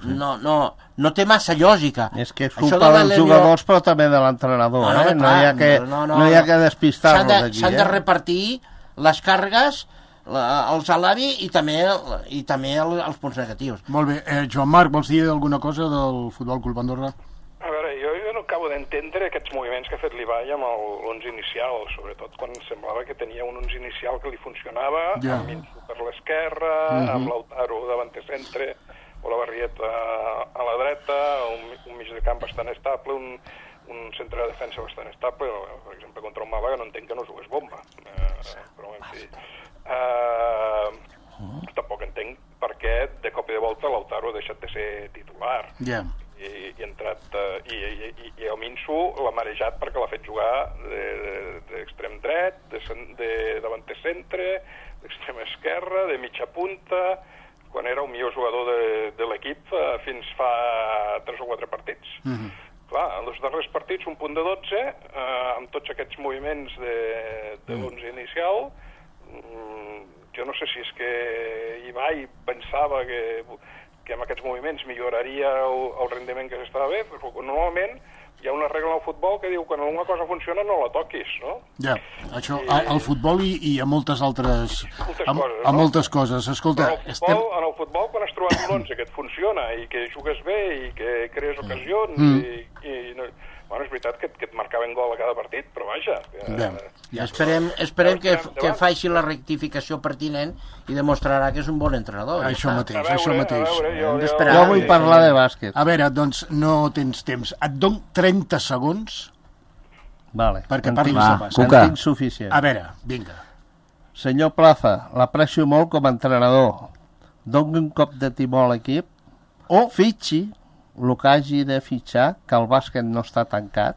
sí. no té massa lògica. És que és culpa dels jugadors, però també de l'entrenador, no hi ha que despistar-los d'aquí. S'han de repartir les càrregues, el salari i també els punts negatius. Molt bé. Joan Marc, vols dir alguna cosa del Futbol Club Andorra? A veure, jo no acabo d'entendre aquests moviments que ha fet l'Ibai amb l'11 inicial, sobretot quan semblava que tenia un 11 inicial que li funcionava, amb Minsu per l'esquerra, amb Lautaro davant de centre, o la Barrieta a la dreta, un mig de camp bastant estable, un centre de defensa bastant estable, per exemple, contra un Màlaga no entenc que no jugués bomba, però en fi... Tampoc entenc per què de cop i de volta Lautaro ha deixat de ser titular. I ha entrat i el Minsu l'ha marejat perquè l'ha fet jugar d'extrem dret, de davanter centre, d'extrem esquerra, de mitja punta, quan era el millor jugador de l'equip fins fa 3 o 4 partits. Clar, en els darrers partits un punt de 12, amb tots aquests moviments de l'11 inicial. Jo no sé si és que Ibai pensava que amb aquests moviments milloraria el rendiment que s'estava bé, però normalment hi ha una regla al futbol que diu que quan alguna cosa funciona no la toquis, no? Ja, això, al futbol i a moltes altres... A moltes coses. Escolta... En el futbol, quan has trobat un 11 que et funciona i que jugues bé i que crees ocasions bueno, és veritat que et marcaven gol a cada partit, però vaja... Esperem que faci la rectificació pertinent i demostrarà que és un bon entrenador. Això mateix. Jo vull parlar de bàsquet. A veure, doncs no tens temps. Et dono 30 segons perquè parlis de bàsquet. En tinc suficient. A veure, vinga. Senyor Plaza, l'aprecio molt com a entrenador. Doni un cop de timó a l'equip o fitxi el que hagi de fitxar, que el bàsquet no està tancat,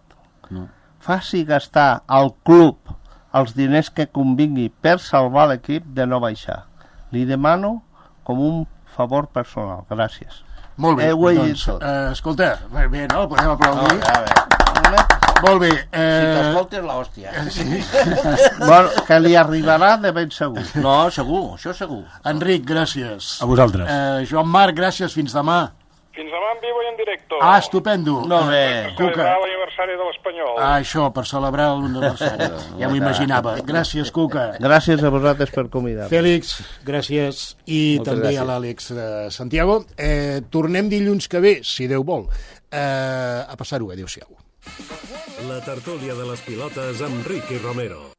faci gastar al club els diners que convingui per salvar l'equip de no baixar. Li demano com un favor personal. Gràcies. Molt bé, doncs, escolta, bé, no? Podem aplaudir. Molt bé. Si t'escoltes, l'hòstia. Bueno, que li arribarà de ben segur. No, segur, això segur. Enric, gràcies. A vosaltres. Joan Marc, gràcies, fins demà. Fins demà en vivo i en directo. Estupendo. Molt bé. Per celebrar l'aniversari de l'Espanyol. Això, per celebrar l'aniversari. Ja m'ho imaginava. Gràcies, Cuca. Gràcies a vosaltres per convidar-me. Fèlix, gràcies. I moltes també gràcies a l'Àlex de Santiago. Tornem dilluns que ve, si Déu vol. A passar-ho, adéu-siau. La tertúlia de les pilotes amb Ricky Romero.